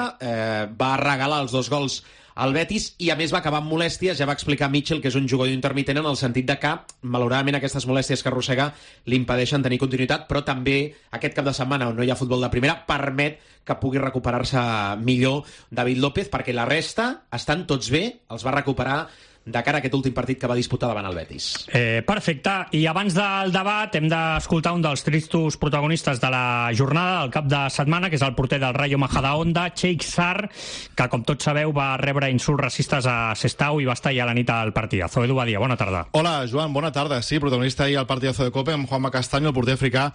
va regalar els 2 gols al Betis i a més va acabar amb molèsties. Ja va explicar Mitchell que és un jugador intermitent en el sentit de que malauradament aquestes molèsties que arrossega li impedeixen tenir continuïtat, però també aquest cap de setmana on no hi ha futbol de primera permet que pugui recuperar-se millor David López, perquè la resta estan tots bé, els va recuperar de cara a aquest últim partit que va disputar davant el Betis. Perfecte. I abans del debat hem d'escoltar un dels tristos protagonistes de la jornada, del cap de setmana, que és el porter del Rayo Majadahonda, Sheikh Sarr, que com tots sabeu va rebre insults racistes a Sestao i va estar allà a la nit al partidazo. Edu Badia, bona tarda. Hola, Joan, bona tarda. Sí, protagonista ahir al partidazo de Copa amb Juanma Castaño, el porter africà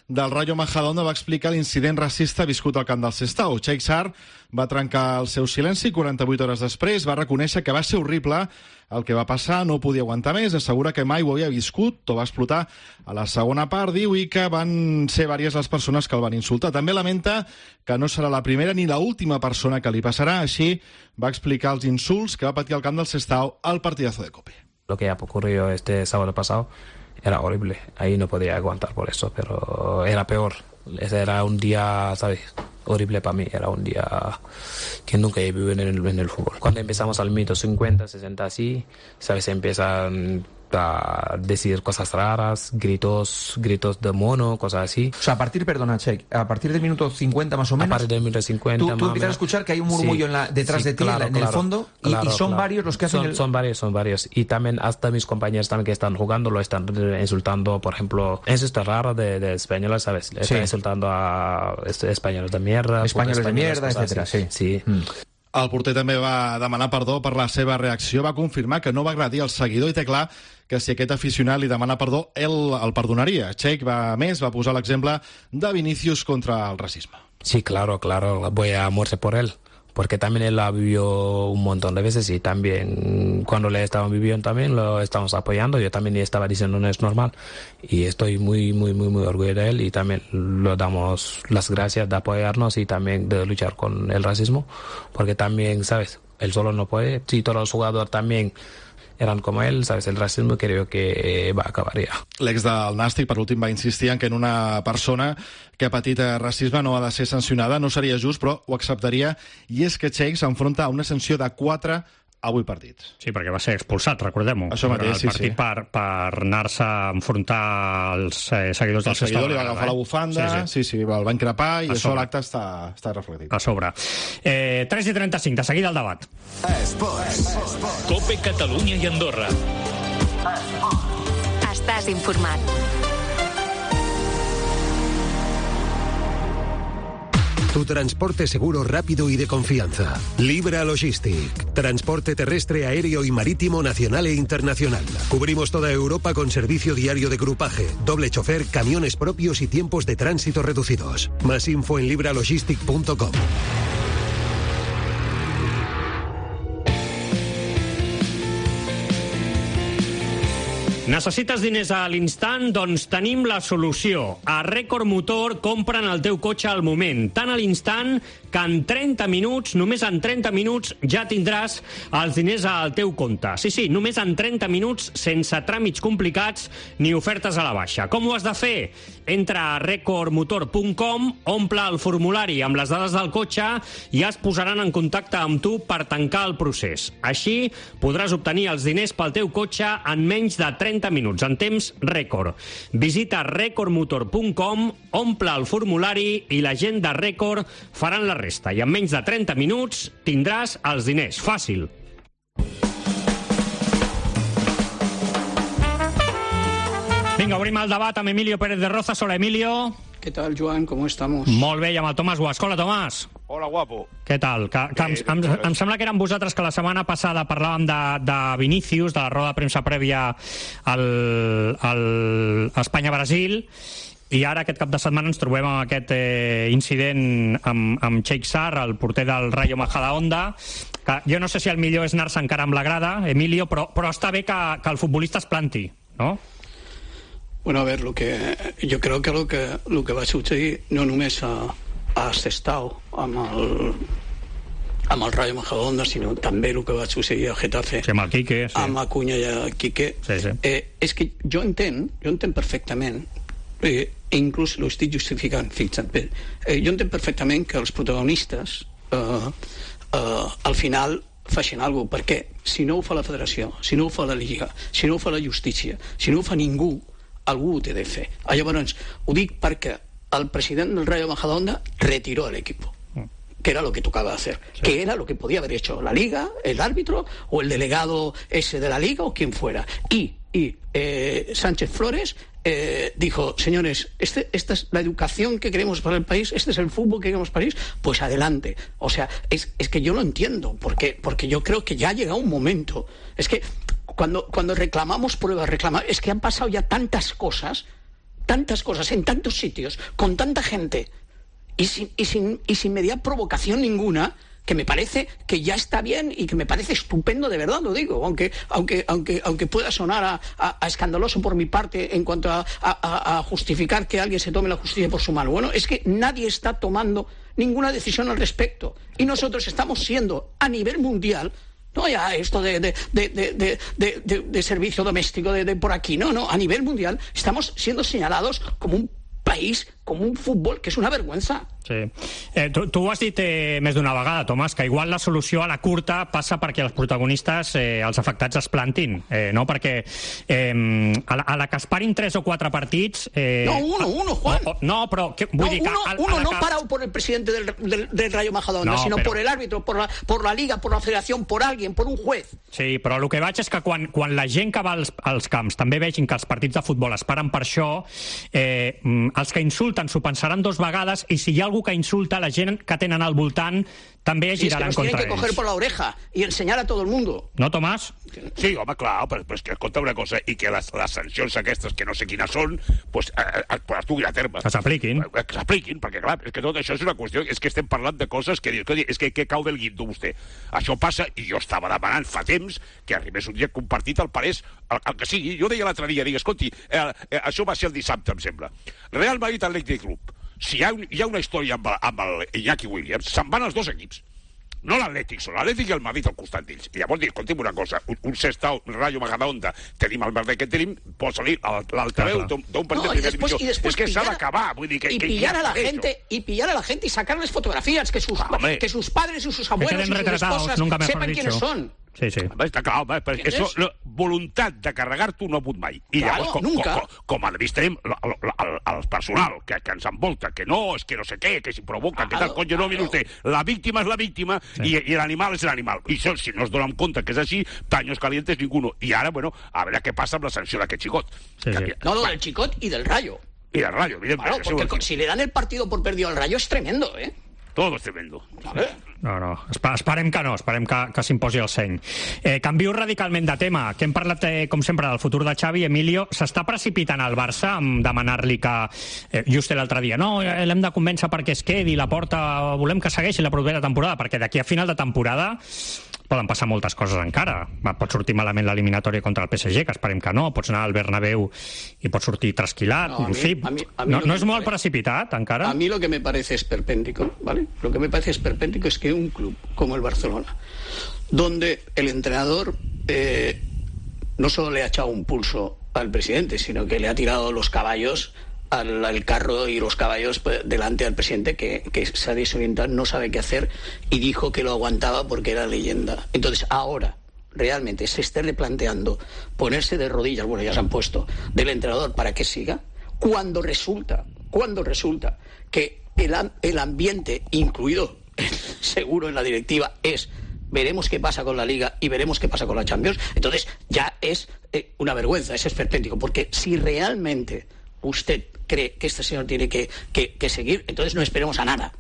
del Rayo Majadahonda, va explicar l'incident racista viscut al camp del Sestao. Sheikh Sarr va trencar el seu silenci 48 hores després, va reconèixer que va ser horrible el que va passar, no podia aguantar més, assegura que mai ho havia viscut, tot va explotar a la segona part, diu, i que van ser diverses les persones que el van insultar. També lamenta que no serà la primera ni l'última persona que li passarà, així va explicar els insults que va patir al camp del Sestao al partidazo de Cope. Lo que ha ocurrido este sábado pasado era horrible, ahí no podía aguantar por eso, pero era peor. Ese era un día, ¿sabes?, horrible para mí, era un día que nunca he vivido en el fútbol. Cuando empezamos al minuto 50, 60 así, ¿sabes?, empiezan a decir cosas raras, gritos de mono, cosas así. O sea, a partir, perdona, Cheik, a partir del minuto 50 más o menos... A partir del minuto 50... Tú empiezas a escuchar que hay un murmullo detrás de ti, claro, en el fondo, y son varios los que hacen... Son varios. Y también hasta mis compañeros también que están jugando lo están insultando, por ejemplo, eso está raro de españoles, ¿sabes? Están insultando a españoles de mierda... Españoles de mierda, etcétera, sí. El porter també va demanar perdó per la seva reacció, va confirmar que no va agredir el seguidor i té clar que si aquest aficionat li demana perdó, ell el perdonaria. Sheikh va posar l'exemple de Vinicius contra el racisme. Sí, claro, voy a morir por él. porque también él la vivió un montón de veces y también cuando le estaban viviendo también lo estamos apoyando. Yo también estaba diciendo no es normal y estoy muy orgulloso de él y también le damos las gracias de apoyarnos y también de luchar con el racismo, porque también, ¿sabes? Él solo no puede. Si todos los jugadores también eran com ell, ¿sabes? El racisme creo que va a acabar ja. L'ex del Nàstic, per últim, va insistir en que en una persona que ha patit racisme no ha de ser sancionada, no seria just, però ho acceptaria, i és que Cheikh s'enfronta a una sanció de 4 a 8 partits. Sí, perquè va ser expulsat, recordem-ho. Això mateix, el partit per anar-se a enfrontar als seguidors del Sestao. El seguidor li va agafar la bufanda, sí, el va increpar, i això a l'acte està reflectit. A sobre. 3:35, de seguida el debat. Cope Catalunya i Andorra. Estàs informat. Tu transporte seguro, rápido y de confianza. Libra Logistic. Transporte terrestre, aéreo y marítimo nacional e internacional. Cubrimos toda Europa con servicio diario de grupaje, doble chofer, camiones propios y tiempos de tránsito reducidos. Más info en libralogistic.com. Necessites diners a l'instant? Doncs tenim la solució. A Record Motor compren el teu cotxe al moment, tan a l'instant que en 30 minuts, només en 30 minuts, ja tindràs els diners al teu compte. Sí, només en 30 minuts, sense tràmits complicats ni ofertes a la baixa. Com ho has de fer? Entra a recordmotor.com, omple el formulari amb les dades del cotxe i es posaran en contacte amb tu per tancar el procés. Així podràs obtenir els diners pel teu cotxe en menys de 30 minuts, en temps rècord. Visita recordmotor.com, omple el formulari i la gent de Record faran la resta. I en menys de 30 minuts tindràs els diners. Fàcil. Vinga, obrim el debat amb Emilio Pérez de Rozas. Hola, Emilio. ¿Qué tal, Joan? ¿Cómo estamos? Molt bé, i amb el Tomàs Guasc. Hola, Tomàs. Hola, guapo. Què tal? Em sembla que eren vosaltres que la setmana passada parlàvem de Vinícius, de la roda de premsa prèvia al Espanya-Brasil, i ara aquest cap de setmana ens trobem amb aquest incident amb Cheikh Sarr, el porter del Rayo Majadahonda, que jo no sé si el millor és anar-se encara amb la grada, Emilio, però està bé que el futbolista es planti, no? Bueno, a ver, yo creo que lo que va a suceder no només a Sestao amb el Rayo Majadahonda, sinó també el que va succeir a Getafe, amb el Quique, amb Acuña i a Quique. És que jo entenc perfectament, e inclús lo estic justificant, fixa't bé, jo entenc perfectament que els protagonistes al final facin alguna cosa, perquè si no ho fa la federació, si no ho fa la Lliga, si no ho fa la justícia, si no ho fa ningú, algú ho té de fer. Llavors, ho dic perquè el president del Rayo Majadahonda retiró al equipo, que era lo que tocaba hacer, que era lo que podía haber hecho la Liga, el árbitro o el delegado ese de la Liga o quien fuera. Y Sánchez Flores dijo, señores, esta es la educación que queremos para el país, este es el fútbol que queremos para el país, pues adelante. O sea, es que yo lo entiendo, porque yo creo que ya ha llegado un momento. Es que cuando reclamamos pruebas, es que han pasado ya tantas cosas en tantos sitios, con tanta gente, y sin media provocación ninguna, que me parece que ya está bien y que me parece estupendo, de verdad lo digo, aunque pueda sonar a escandaloso por mi parte en cuanto a justificar que alguien se tome la justicia por su mano. Bueno, es que nadie está tomando ninguna decisión al respecto, y nosotros estamos siendo a nivel mundial, no ya esto de servicio doméstico de por aquí, no, a nivel mundial estamos siendo señalados como un país, com un futbol que és una vergüenza. Sí. Tu ho has dit més d'una vegada, Tomàs, que igual la solució a la curta passa perquè els protagonistes, els afectats, es plantin, no? Perquè a la que es parin 3 o 4 partits... No, uno, Juan. No, però... Vull dir que... Uno no parado por el presidente del Rayo Majadahonda, sino por el árbitro, por la Liga, por la Federación, por alguien, por un juez. Sí, però el que vaig és que quan la gent que va als camps també vegin que els partits de futbol es paren per això, els que insulten s'ho pensaran 2 vegades, i si hi ha algú que insulta, la gent que tenen al voltant també giraran contra ells. Tienen que coger por la oreja y enseñar a todo el mundo. ¿No, Tomás? Sí, home, clar, però és que escolta una cosa, i que les sancions aquestes, que no sé quines són, pues es duguin a terme. Que s'apliquin. Que s'apliquin, perquè clar, és que tot això és una qüestió, és que estem parlant de coses que és que cau del guindo vostè. Això passa, i jo estava demanant fa temps que arribés un dia compartit el parés, el que sigui. Jo deia l'altre dia, escolti, això va ser el dissabte, em sembla. Real Madrid Athletic Club. Si hi ha una història amb el Iñaki Williams, se'n van els dos equips. No l'Atlètic, són l'Atlètic i el Madrid al costat d'ells. I llavors dic, escolti'm una cosa, un Sestao, Rayo Majadahonda, tenim el merder que tenim, posa-li l'altaveu d'un partit de primera divisió. És que s'ha d'acabar. Y pillar a la gente y sacarles fotografías, que sus padres y sus abuelos y sus esposas sepan quiénes son. Sí, sí. Està clar, home, perquè voluntat de carregar-t'ho no ha hagut mai. I llavors, com a vist tenim el personal que ens envolta, que no, és que no sé què, que s'hi provoca, que tal, coño, no, mira usted, la víctima és la víctima i l'animal és l'animal. I això, si no es donen compte que és així, paños calientes ninguno. I ara, bueno, a veure què passa amb la sanció d'aquest xicot. No, del xicot i del Rayo. Y del Rayo, evidentemente. Claro, porque si le dan el partido por perdido al Rayo es tremendo, ¿eh? Todo es tremendo. No. Esperem que no, esperem que s'imposi el seny. Canvio radicalment de tema, que hem parlat, com sempre, del futur de Xavi. Emilio, s'està precipitant al Barça amb demanar-li que, just l'altre dia, no, l'hem de convèncer perquè es quedi, la porta, volem que segueixi la propera temporada, perquè d'aquí a final de temporada poden passar moltes coses encara. Pot sortir malament l'eliminatòria contra el PSG, que esperem que no, pots anar al Bernabéu i pots sortir trasquilat. No és molt precipitat, encara? A mí lo que me parece esperpéntico, ¿vale? Lo que me parece esperpéntico es que un club como el Barcelona, donde el entrenador no solo le ha echado un pulso al presidente, sino que le ha tirado los caballos al carro y los caballos delante al presidente, que se ha desorientado, no sabe qué hacer, y dijo que lo aguantaba porque era leyenda. Entonces ahora realmente se esté replanteando ponerse de rodillas, bueno, ya se han puesto, del entrenador para que siga, cuando resulta que el ambiente, incluido seguro en la directiva, es veremos qué pasa con la Liga y veremos qué pasa con la Champions, entonces ya es una vergüenza, es esperpéntico, porque si realmente usted cree que este señor tiene que seguir, entonces no esperemos a nada,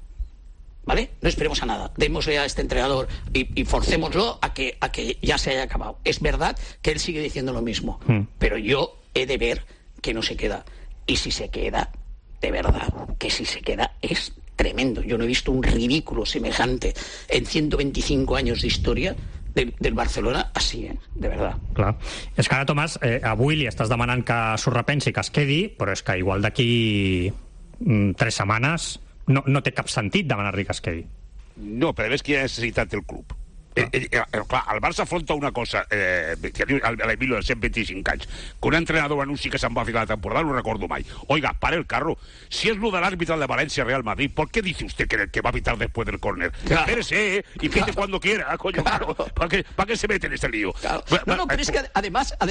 ¿vale? No esperemos a nada, démosle a este entrenador y forcémoslo a que ya se haya acabado. Es verdad que él sigue diciendo lo mismo, pero yo he de ver que no se queda, y si se queda, de verdad, que si se queda es tremendo. Yo no he visto un ridículo semejante en 125 años de historia del Barcelona així, de verdad. Clar. És que ara, Tomàs, avui li estàs demanant que s'ho repensi, que es quedi, però és que igual d'aquí 3 setmanes no té cap sentit demanar-li que es quedi. No, però ves quina necessitat del club. Clar, el Barça afronta una cosa, l'Emilio de 125 anys, que un entrenador anunci que se'n va a final de temporada, no ho recordo mai. Oiga, pare el carro, si es lo del árbitro de Valencia Real Madrid, ¿por qué dice usted que va a pitar después del córner? Claro. Espérese, y pite cuando quiera, coño, claro. ¿Para qué se mete en este lío? Claro. No, pero es que además, a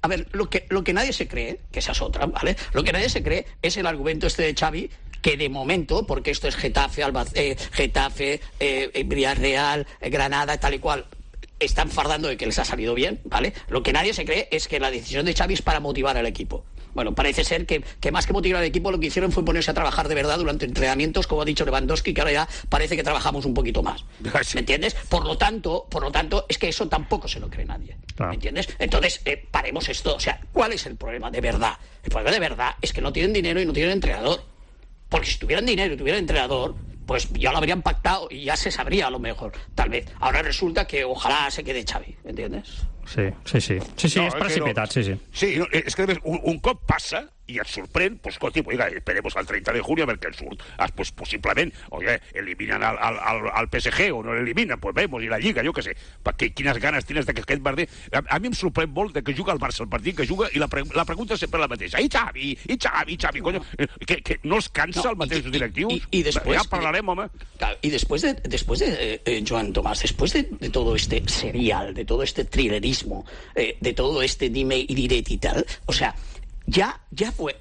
ver, lo que nadie se cree, que esa es otra, ¿vale? Lo que nadie se cree es el argumento este de Xavi, que de momento, porque esto es Getafe, Villarreal, Granada, tal y cual, están fardando de que les ha salido bien, ¿vale? Lo que nadie se cree es que la decisión de Xavi es para motivar al equipo. Bueno, parece ser que más que motivar al equipo, lo que hicieron fue ponerse a trabajar de verdad durante entrenamientos, como ha dicho Lewandowski, que ahora ya parece que trabajamos un poquito más. ¿Me entiendes? Por lo tanto, es que eso tampoco se lo cree nadie. ¿Me entiendes? Entonces, paremos esto. O sea, ¿cuál es el problema de verdad? El problema de verdad es que no tienen dinero y no tienen entrenador. Porque si tuvieran dinero y tuvieran entrenador, pues ya lo habrían pactado y ya se sabría a lo mejor, tal vez. Ahora resulta que ojalá se quede Xavi, ¿entiendes? Sí, no, és precipitat, sí. Sí, no, és que un cop passa i et sorprèn, pues escolti, oiga, esperemos al 30 de junio a ver què en surt. Pues possiblement, oiga, eliminan al PSG o no l'eliminen, pues vemos, i la Lliga, jo què sé. Perquè quines ganes tienes de que aquest Barça... A mi em sorprèn molt de que juga el Barça, el partit que juga, i la pregunta és sempre la mateixa. I Xavi, coño, que no els cansa el mateix directius? I després... Ja parlarem, home. Y después de Joan Tomàs, después de todo este serial, de todo este thrillerismo, de todo este dime y direte y tal, o sea, ya fue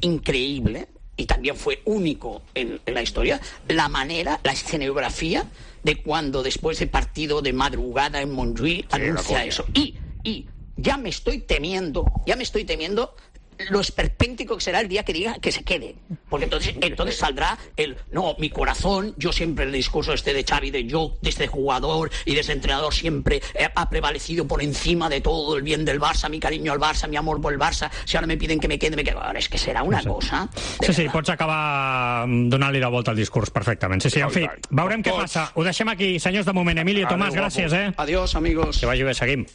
increíble y también fue único en la historia la manera, la escenografía de cuando después de partido de madrugada en Montjuïc anuncia eso. Y ya me estoy temiendo lo esperpéntico que será el día que diga que se quede. Porque entonces saldrá mi corazón. Yo siempre, el discurso de Xavi, yo desde jugador y desde entrenador siempre ha prevalecido por encima de todo el bien del Barça, mi cariño al Barça, mi amor por el Barça. Si ahora me piden que me quede, me quedo. Ahora és que serà una cosa... Sí, pots acabar donant-li la volta al discurs perfectament. Sí, en fi, veurem què passa. Ho deixem aquí, senyors, de moment. Emilio, Tomàs, gràcies, Adiós, amigos. Que vagi bé, seguim.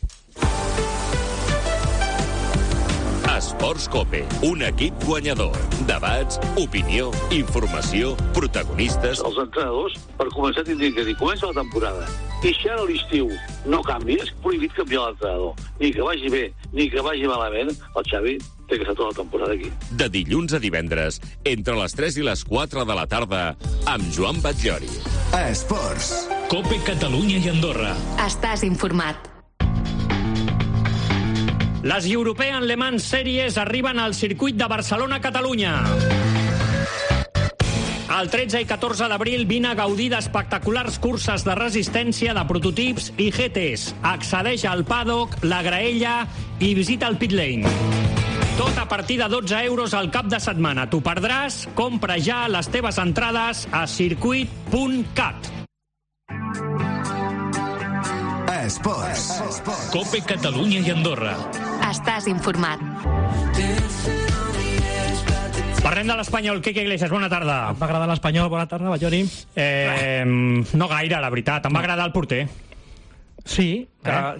Esports COPE, un equip guanyador. Debats, opinió, informació, protagonistes... Els entrenadors, per començar, tindrien que dir, comença la temporada. I si ara a l'estiu no canvi, és prohibit canviar l'entrenador. Ni que vagi bé, ni que vagi malament, el Xavi té que estar tota la temporada aquí. De dilluns a divendres, entre les 3 i les 4 de la tarda, amb Joan Batllori. Esports. COPE Catalunya i Andorra. Estàs informat. Les European Le Mans Series arriben al circuit de Barcelona-Catalunya. El 13 i 14 d'abril vine a gaudir d'espectaculars curses de resistència de prototips i GTs. Accedeix al paddock, la graella i visita el pit lane. Tot a partir de 12 euros al cap de setmana. T'ho perdràs? Compra ja les teves entrades a circuit.cat. Esports. COPE Catalunya i Andorra. Estàs informat. Parlem de l'Espanyol. Quique Iglesias, bona tarda. Em va agradar l'Espanyol, bona tarda, Batllori. No gaire, la veritat. Em va agradar el porter. Sí. Va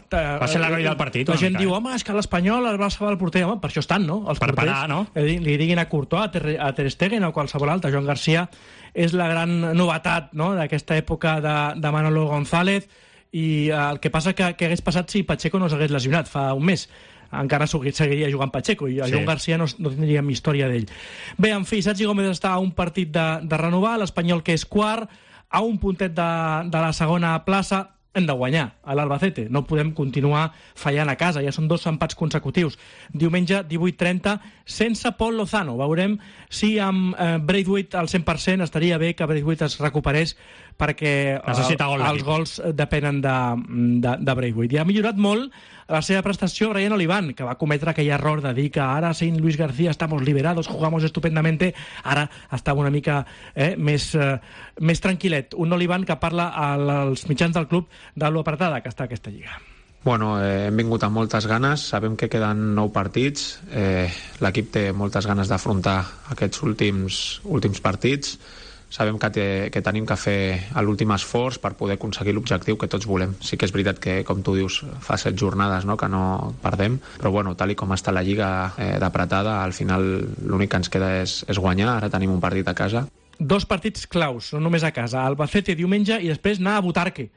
ser l'heroi del partit. La gent diu, home, és que l'Espanyol el va salvar el porter. Home, per això estan, no? Els per porters, parar, no? Li diguin a Courtois, a Ter Stegen o qualsevol altre. Joan Garcia és la gran novetat, no?, d'aquesta època de Manolo González. I el que passa que hagués passat si Pacheco no s'hagués lesionat fa un mes. Encara seguiria jugant Pacheco i a Joan Garcia no tindríem història d'ell. Bé, en fi, Sergi Gómez està a un partit de renovar, l'Espanyol, que és quart, a un puntet de la segona plaça. Hem de guanyar a l'Albacete, no podem continuar fallant a casa, ja són 2 empats consecutius. Diumenge 18:30 sense Pol Lozano. Veurem si amb Braithwaite al 100% estaria bé que Braithwaite es recuperés, perquè els gols depenen de Braithwaite. I ha millorat molt la seva prestació Ryan Oliván, que va cometre aquell error de dir que ara sin Luis García estamos liberados, jugamos estupendamente. Ara estava una mica més tranquil·let. Un Oliván que parla als mitjans del club de lo apretada que està aquesta lliga. Bueno, hem vingut amb moltes ganes, sabem que queden 9 partits, l'equip té moltes ganes d'afrontar aquests últims partits, sabem que tenim que fer l'últim esforç per poder aconseguir l'objectiu que tots volem. Sí que és veritat que, com tu dius, fa 7 jornades, no?, que no perdem, però bueno, tal com està la lliga d'apretada, al final l'únic que ens queda és guanyar. Ara tenim un partit a casa. 2 partits claus, no només a casa, Albacete diumenge i després anar a Butarque,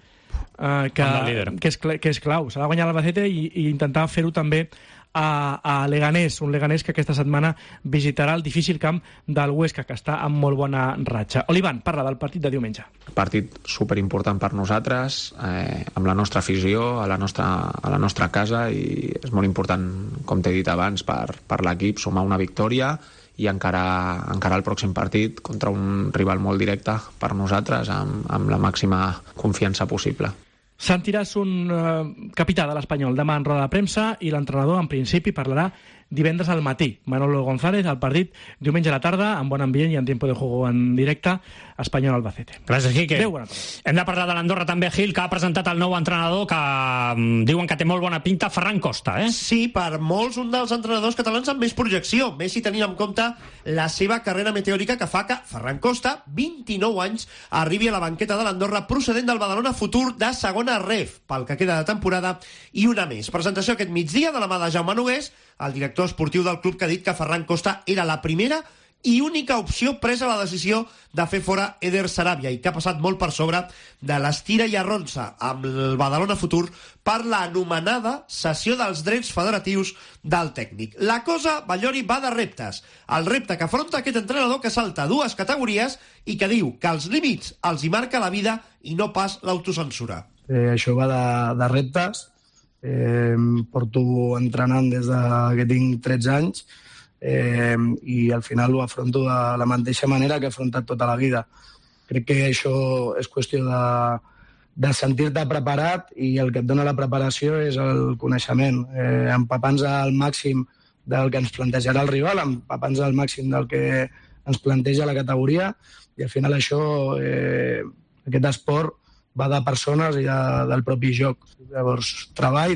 que és clau. S'ha de guanyar l'Albacete i intentar fer-ho també a Leganés, un Leganés que aquesta setmana visitarà el difícil camp del Huesca, que està amb molt bona ratxa. Oliván, parla del partit de diumenge. Partit superimportant per nosaltres, amb la nostra afició, a la nostra casa, i és molt important, com t'he dit abans, per l'equip sumar una victòria i encarar el pròxim partit contra un rival molt directe per nosaltres, amb la màxima confiança possible. Sentiràs un capità de l'Espanyol demà en roda de premsa i l'entrenador, en principi, parlarà divendres al matí. Manolo González, al partit diumenge a la tarda, amb bon ambient i en tiempo de juego en directe, Espanyol-Albacete. Gràcies, Quique. Adéu, bona tarda. Hem de parlar de l'Andorra també, Gil, que ha presentat el nou entrenador, que diuen que té molt bona pinta, Ferran Costa, Sí, per molts un dels entrenadors catalans amb més projecció, més si tenint en compte la seva carrera meteòrica, que fa que Ferran Costa, 29 anys, arribi a la banqueta de l'Andorra procedent del Badalona Futur de segona ref, pel que queda de temporada, i una més. Presentació aquest migdia de la mà de Jaume Nogués, el director esportiu del club, que ha dit que Ferran Costa era la primera i única opció presa la decisió de fer fora Eder Sarabia, i que ha passat molt per sobre de l'estira i arronsa amb el Badalona Futur per l'anomenada cessió dels drets federatius del tècnic. La cosa, Batllori, va de reptes. El repte que afronta aquest entrenador, que salta 2 categories i que diu que els límits els hi marca la vida i no pas l'autocensura. Això va de reptes. Porto entrenant des que tinc 13 anys i al final ho afronto de la mateixa manera que he afrontat tota la vida. Crec que això és qüestió de sentir-te preparat, i el que et dona la preparació és el coneixement, empapant-nos al màxim del que ens plantejarà el rival, empapant-nos al màxim del que ens planteja la categoria, i al final això, aquest esport va de persones i del propi joc. Llavors, treball,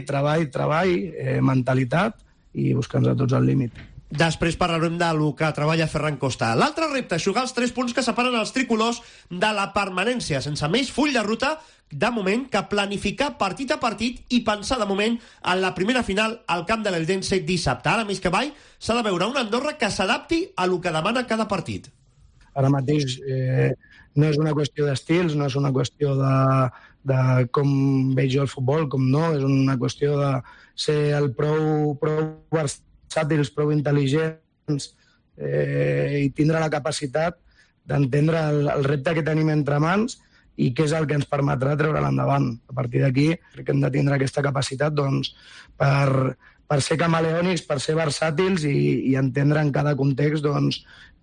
mentalitat i buscar-nos a tots al límit. Després parlarem del que treballa Ferran Costa. L'altre repte, jugar els 3 punts que separen els tricolors de la permanència, sense més full de ruta, de moment, que planificar partit a partit i pensar de moment en la primera final al camp de l'Eldense dissabte. Ara més que mai s'ha de veure una Andorra que s'adapti a lo que demana cada partit. Ara mateix no és una qüestió d'estils, no és una qüestió de com veig jo el futbol, com no, és una qüestió de ser el prou versàtils, prou intel·ligents i tindre la capacitat d'entendre el repte que tenim entre mans i què és el que ens permetrà treure l'endavant. A partir d'aquí crec que hem de tindre aquesta capacitat per ser camaleònics, per ser versàtils i entendre en cada context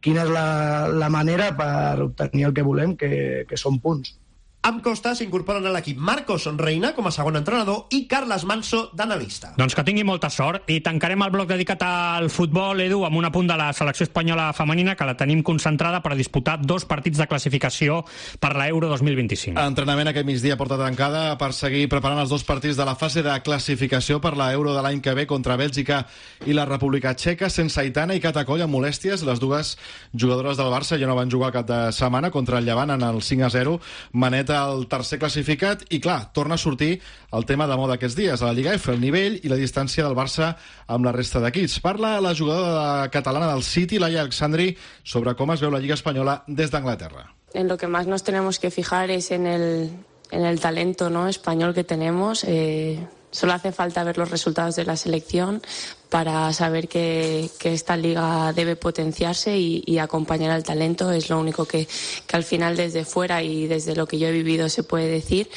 quina és la manera per obtenir el que volem, que són punts. Amb Costa s'incorporen a l'equip Marcos Reina com a segon entrenador i Carles Manso d'analista. Doncs que tingui molta sort i tancarem el bloc dedicat al futbol, Edu, amb un apunt de la selecció espanyola femenina que la tenim concentrada per a disputar 2 partits de classificació per l'Euro 2025. Entrenament aquest migdia porta tancada per seguir preparant els 2 partits de la fase de classificació per l'Euro de l'any que ve contra Bèlgica i la República Txeca, sense Aitana i Cata Coll amb molèsties. Les dues jugadores del Barça ja no van jugar cap de setmana contra el Llevant en el 5-0. Maneta el tercer classificat i, clar, torna a sortir el tema de moda aquests dies a la Lliga F, el nivell i la distància del Barça amb la resta d'equips. Parla la jugadora catalana del City, Laia Alexandri, sobre com es veu la Lliga Espanyola des d'Anglaterra. En lo que más nos tenemos que fijar es en el talento, ¿no?, español que tenemos. Solo hace falta ver los resultados de la selección para saber que esta liga debe potenciarse y acompañar al talento. Es lo único que al final desde fuera y desde lo que yo he vivido se puede decir.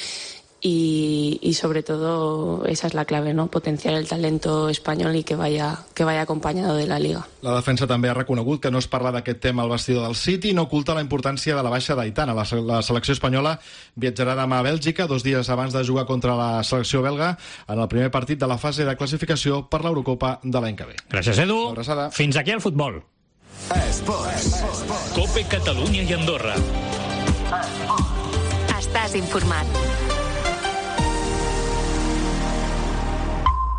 Y sobre todo esa es la clave, ¿no?, potenciar el talento espanyol i que vaya acompañado de la Liga. La defensa també ha reconegut que no es parla d'aquest tema al vestidor del City i no oculta la importància de la baixa d'Aitana. La selecció espanyola viatjarà demà a Bèlgica, 2 dies abans de jugar contra la selecció belga en el primer partit de la fase de classificació per l'Eurocopa de l'any que ve. Gràcies, Edu. Fins aquí el futbol. Esports. Cope Catalunya i Andorra. Estàs informat.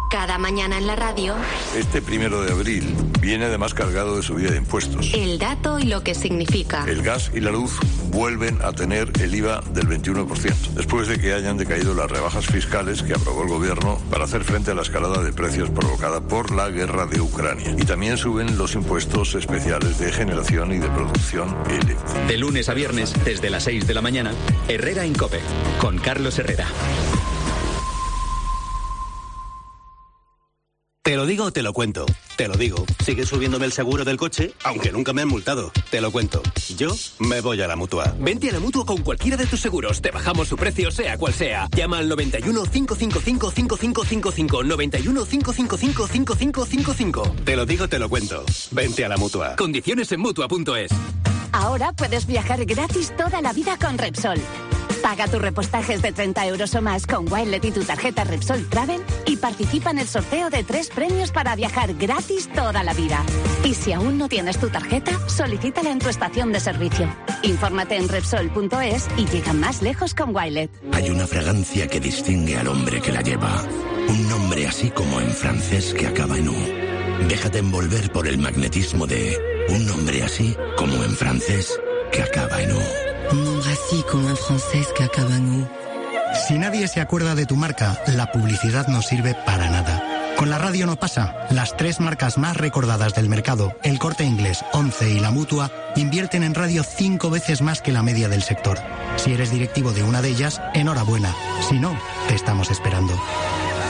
Cada mañana en la radio, Este 1 de abril viene además cargado de subida de impuestos. el dato y lo que significa. El gas y la luz vuelven a tener el IVA del 21%, después de que hayan decaído las rebajas fiscales que aprobó el gobierno para hacer frente a la escalada de precios provocada por la guerra de Ucrania. Y también suben los impuestos especiales de generación y de producción eléctrica. De lunes a viernes, desde las 6 de la mañana, Herrera en COPE, con Carlos Herrera. Te lo digo o te lo cuento. Te lo digo. Sigue subiéndome el seguro del coche, aunque nunca me han multado. Te lo cuento. Yo me voy a la Mutua. Vente a la Mutua con cualquiera de tus seguros. Te bajamos su precio, sea cual sea. Llama al 91 555 5555. 91 555 5555. Te lo digo, te lo cuento. Vente a la Mutua. Condiciones en Mutua.es. Ahora puedes viajar gratis toda la vida con Repsol. Paga tus repostajes de 30 euros o más con Wilet y tu tarjeta Repsol Travel y participa en el sorteo de 3 premios para viajar gratis toda la vida. Y si aún no tienes tu tarjeta, solicítala en tu estación de servicio. Infórmate en Repsol.es y llega más lejos con Wilet. Hay una fragancia que distingue al hombre que la lleva. Un nombre así como en francés que acaba en U. Déjate envolver por el magnetismo de un nombre así como en francés que acaba en U. Un nombre así como en francés que acaba en U. Si nadie se acuerda de tu marca, la publicidad no sirve para nada. Con la radio no pasa. Las 3 marcas más recordadas del mercado, El Corte Inglés, Once y La Mutua, invierten en radio 5 veces más que la media del sector. Si eres directivo de una de ellas, enhorabuena. Si no, te estamos esperando.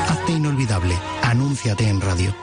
Hazte inolvidable. Anúnciate en radio.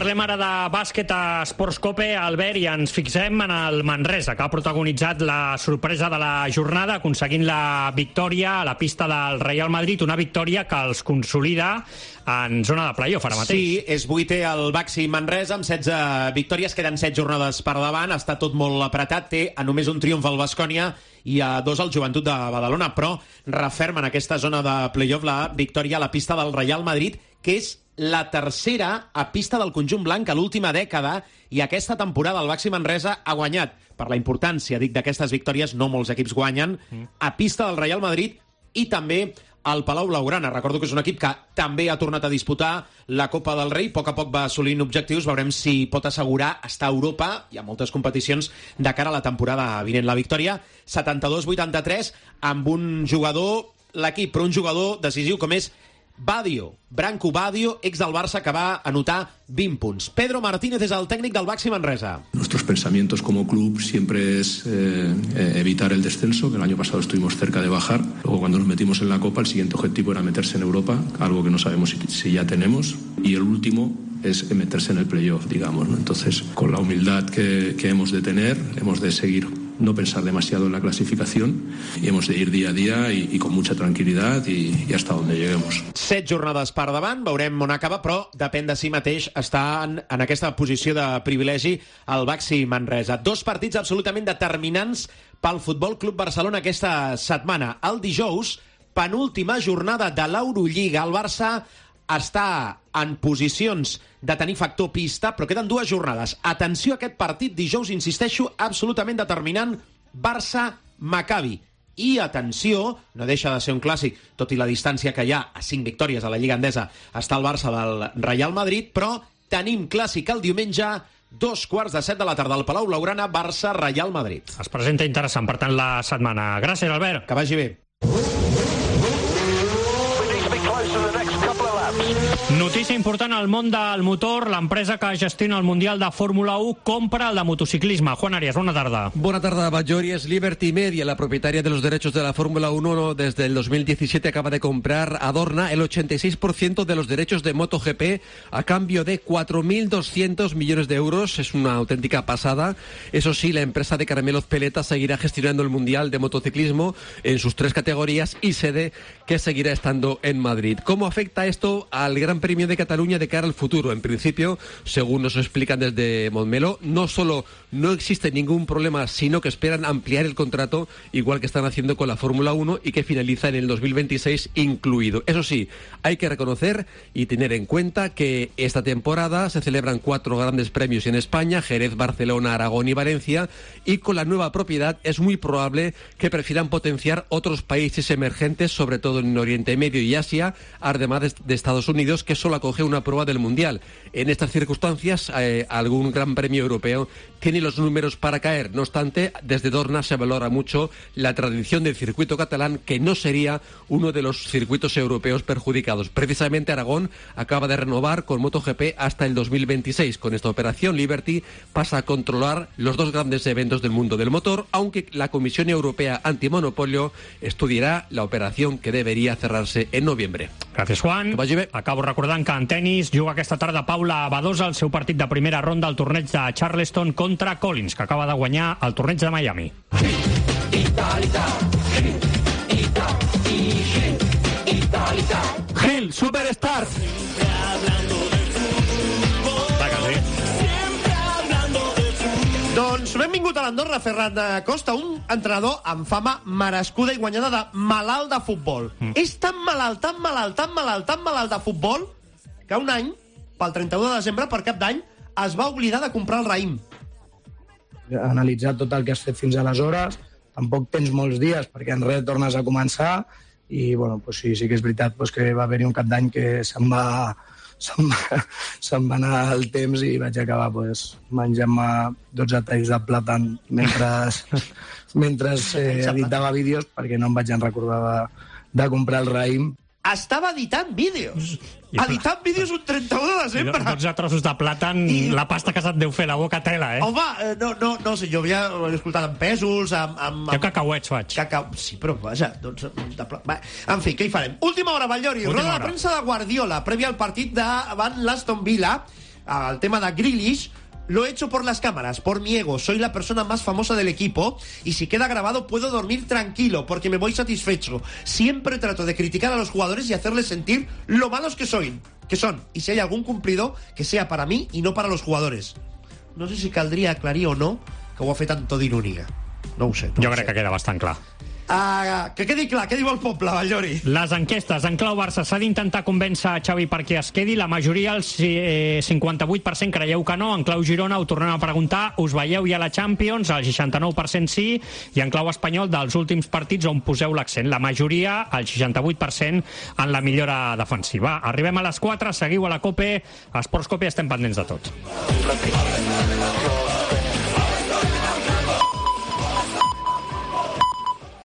Parlem ara de bàsquet a Esports Cope, Albert, i ens fixem en el Manresa, que ha protagonitzat la sorpresa de la jornada, aconseguint la victòria a la pista del Real Madrid, una victòria que els consolida en zona de playoff ara mateix. Sí, és 8è el Baxi Manresa, amb 16 victòries, queden 7 jornades per davant, està tot molt apretat, té a només un triomf el Baskonia i a 2 el Joventut de Badalona, però referma en aquesta zona de playoff la victòria a la pista del Real Madrid, que és la tercera a pista del conjunt blanc a l'última dècada, i aquesta temporada el Baxi Manresa ha guanyat. Per la importància, dic, d'aquestes victòries, no molts equips guanyen a pista del Real Madrid i també al Palau Blaugrana. Recordo que és un equip que també ha tornat a disputar la Copa del Rei, a poc va assolint objectius, veurem si pot assegurar estar a Europa. Hi ha moltes competicions de cara a la temporada vinent. La victòria 72-83 amb un jugador, l'equip, però un jugador decisiu com és Branco Badio, ex del Barça, que va anotar 20 punts. Pedro Martínez és el tècnic del Baxi Manresa. Nuestros pensamientos como club siempre es evitar el descenso, que el año pasado estuvimos cerca de bajar. Luego, cuando nos metimos en la Copa, el siguiente objetivo era meterse en Europa, algo que no sabemos si ya tenemos. Y el último es meterse en el playoff, digamos, ¿no? Entonces, con la humildad que hemos de tener, hemos de seguir, no pensar demasiado en la clasificación, y hemos de ir día a día y con mucha tranquilidad y hasta donde lleguemos. 7 jornades per davant, veurem on acaba, però depèn de si mateix està en aquesta posició de privilegi el Baxi Manresa. 2 partits absolutament determinants pel Futbol Club Barcelona aquesta setmana. El dijous, penúltima jornada de l'Eurolliga, el Barça està en posicions de tenir factor pista, però queden 2 jornades. Atenció a aquest partit, dijous, insisteixo, absolutament determinant, Barça-Maccabi. I atenció, no deixa de ser un clàssic, tot i la distància que hi ha a 5 victòries a la Lliga Endesa, està el Barça del Real Madrid, però tenim clàssic el diumenge, 2:15 de la tarda al Palau Blaugrana, Barça-Real Madrid. Es presenta interessant, per tant, la setmana. Gràcies, Albert. Que vagi bé. Notícia important al món del motor. L'empresa que gestiona el Mundial de Fórmula 1 compra el de motociclisme. Juan Arias, bona tarda. Buena tarde, Bajori. Es Liberty Media, la propietaria de los derechos de la Fórmula 1 desde el 2017. Acaba de comprar a Dorna el 86% de los derechos de MotoGP a cambio de 4.200 millones de euros. Es una auténtica pasada. Eso sí, la empresa de Caramelos Peleta seguirá gestionando el Mundial de Motociclismo en sus 3 categorías y sede que seguirá estando en Madrid. ¿Cómo afecta esto al Gran Premio de Cataluña de cara al futuro? En principio, según nos explican desde Montmeló, no solo no existe ningún problema, sino que esperan ampliar el contrato, igual que están haciendo con la Fórmula 1, y que finaliza en el 2026 incluido. Eso sí, hay que reconocer y tener en cuenta que esta temporada se celebran 4 grandes premios en España: Jerez, Barcelona, Aragón y Valencia, y con la nueva propiedad es muy probable que prefieran potenciar otros países emergentes, sobre todo en Oriente Medio y Asia, además de Estados Unidos, que solo acoge una prueba del Mundial. En estas circunstancias, algún gran premio europeo tiene los números para caer. No obstante, desde Dorna se valora mucho la tradición del circuito catalán, que no sería uno de los circuitos europeos perjudicados. Precisamente Aragón acaba de renovar con MotoGP hasta el 2026. Con esta operación, Liberty pasa a controlar los 2 grandes eventos del mundo del motor, aunque la Comisión Europea Antimonopolio estudiará la operación, que debería cerrarse en noviembre. Gràcies, Juan. Acabo recordant que en tenis juga aquesta tarda Paula Badosa el seu partit de primera ronda al torneig de Charleston contra Collins, que acaba de guanyar el torneig de Miami. Gil, Superstar. Doncs benvingut a l'Andorra, Ferran Costa, un entrenador amb fama merescuda i guanyada de malalt de futbol. És tan malalt de futbol que un any, pel 31 de desembre, per cap d'any, es va oblidar de comprar el raïm. Analitzar tot el que has fet fins aleshores, tampoc tens molts dies, perquè en res tornes a començar, i bueno, pues sí que és veritat pues, que va haver-hi un cap d'any que se'n va anar el temps i vaig acabar pues, menjant-me 12 talls de plàtan mentre editava vídeos, perquè no em vaig recordar de comprar el raïm. Estava editant vídeos. Editant vídeos un 31 de desembre. 12 trossos de plàtan, la pasta que se't deu fer la boca tela, eh? Home, no sé, jo havia escoltat amb pèsols, amb... Jo cacauets faig. Sí, però vaja, doncs... En fi, què hi farem? Última hora, Batllori. Roda de premsa de Guardiola, prèvia al partit davant l'Aston Villa. al tema de Grealish, lo he hecho por las cámaras, por mi ego. Soy la persona más famosa del equipo y si queda grabado puedo dormir tranquilo porque me voy satisfecho. Siempre trato de criticar a los jugadores y hacerles sentir lo malos que son. Y si hay algún cumplido, que sea para mí y no para los jugadores. No sé si caldria aclarir o no que ho ha fet amb tot d'ironia. No ho sé. Jo crec que queda bastant clar. Que quedi clar, què diu el poble, Vallori? Les enquestes. En clau Barça s'ha d'intentar convèncer a Xavi perquè es quedi. La majoria, el 58%, creieu que no. En clau Girona ho tornem a preguntar. Us veieu ja a la Champions? El 69% sí. I en clau espanyol, dels últims partits on poseu l'accent. La majoria, el 68%, en la millora defensiva. Arribem a les 4, seguiu a la COPE. A Esports COPE estem pendents de tot.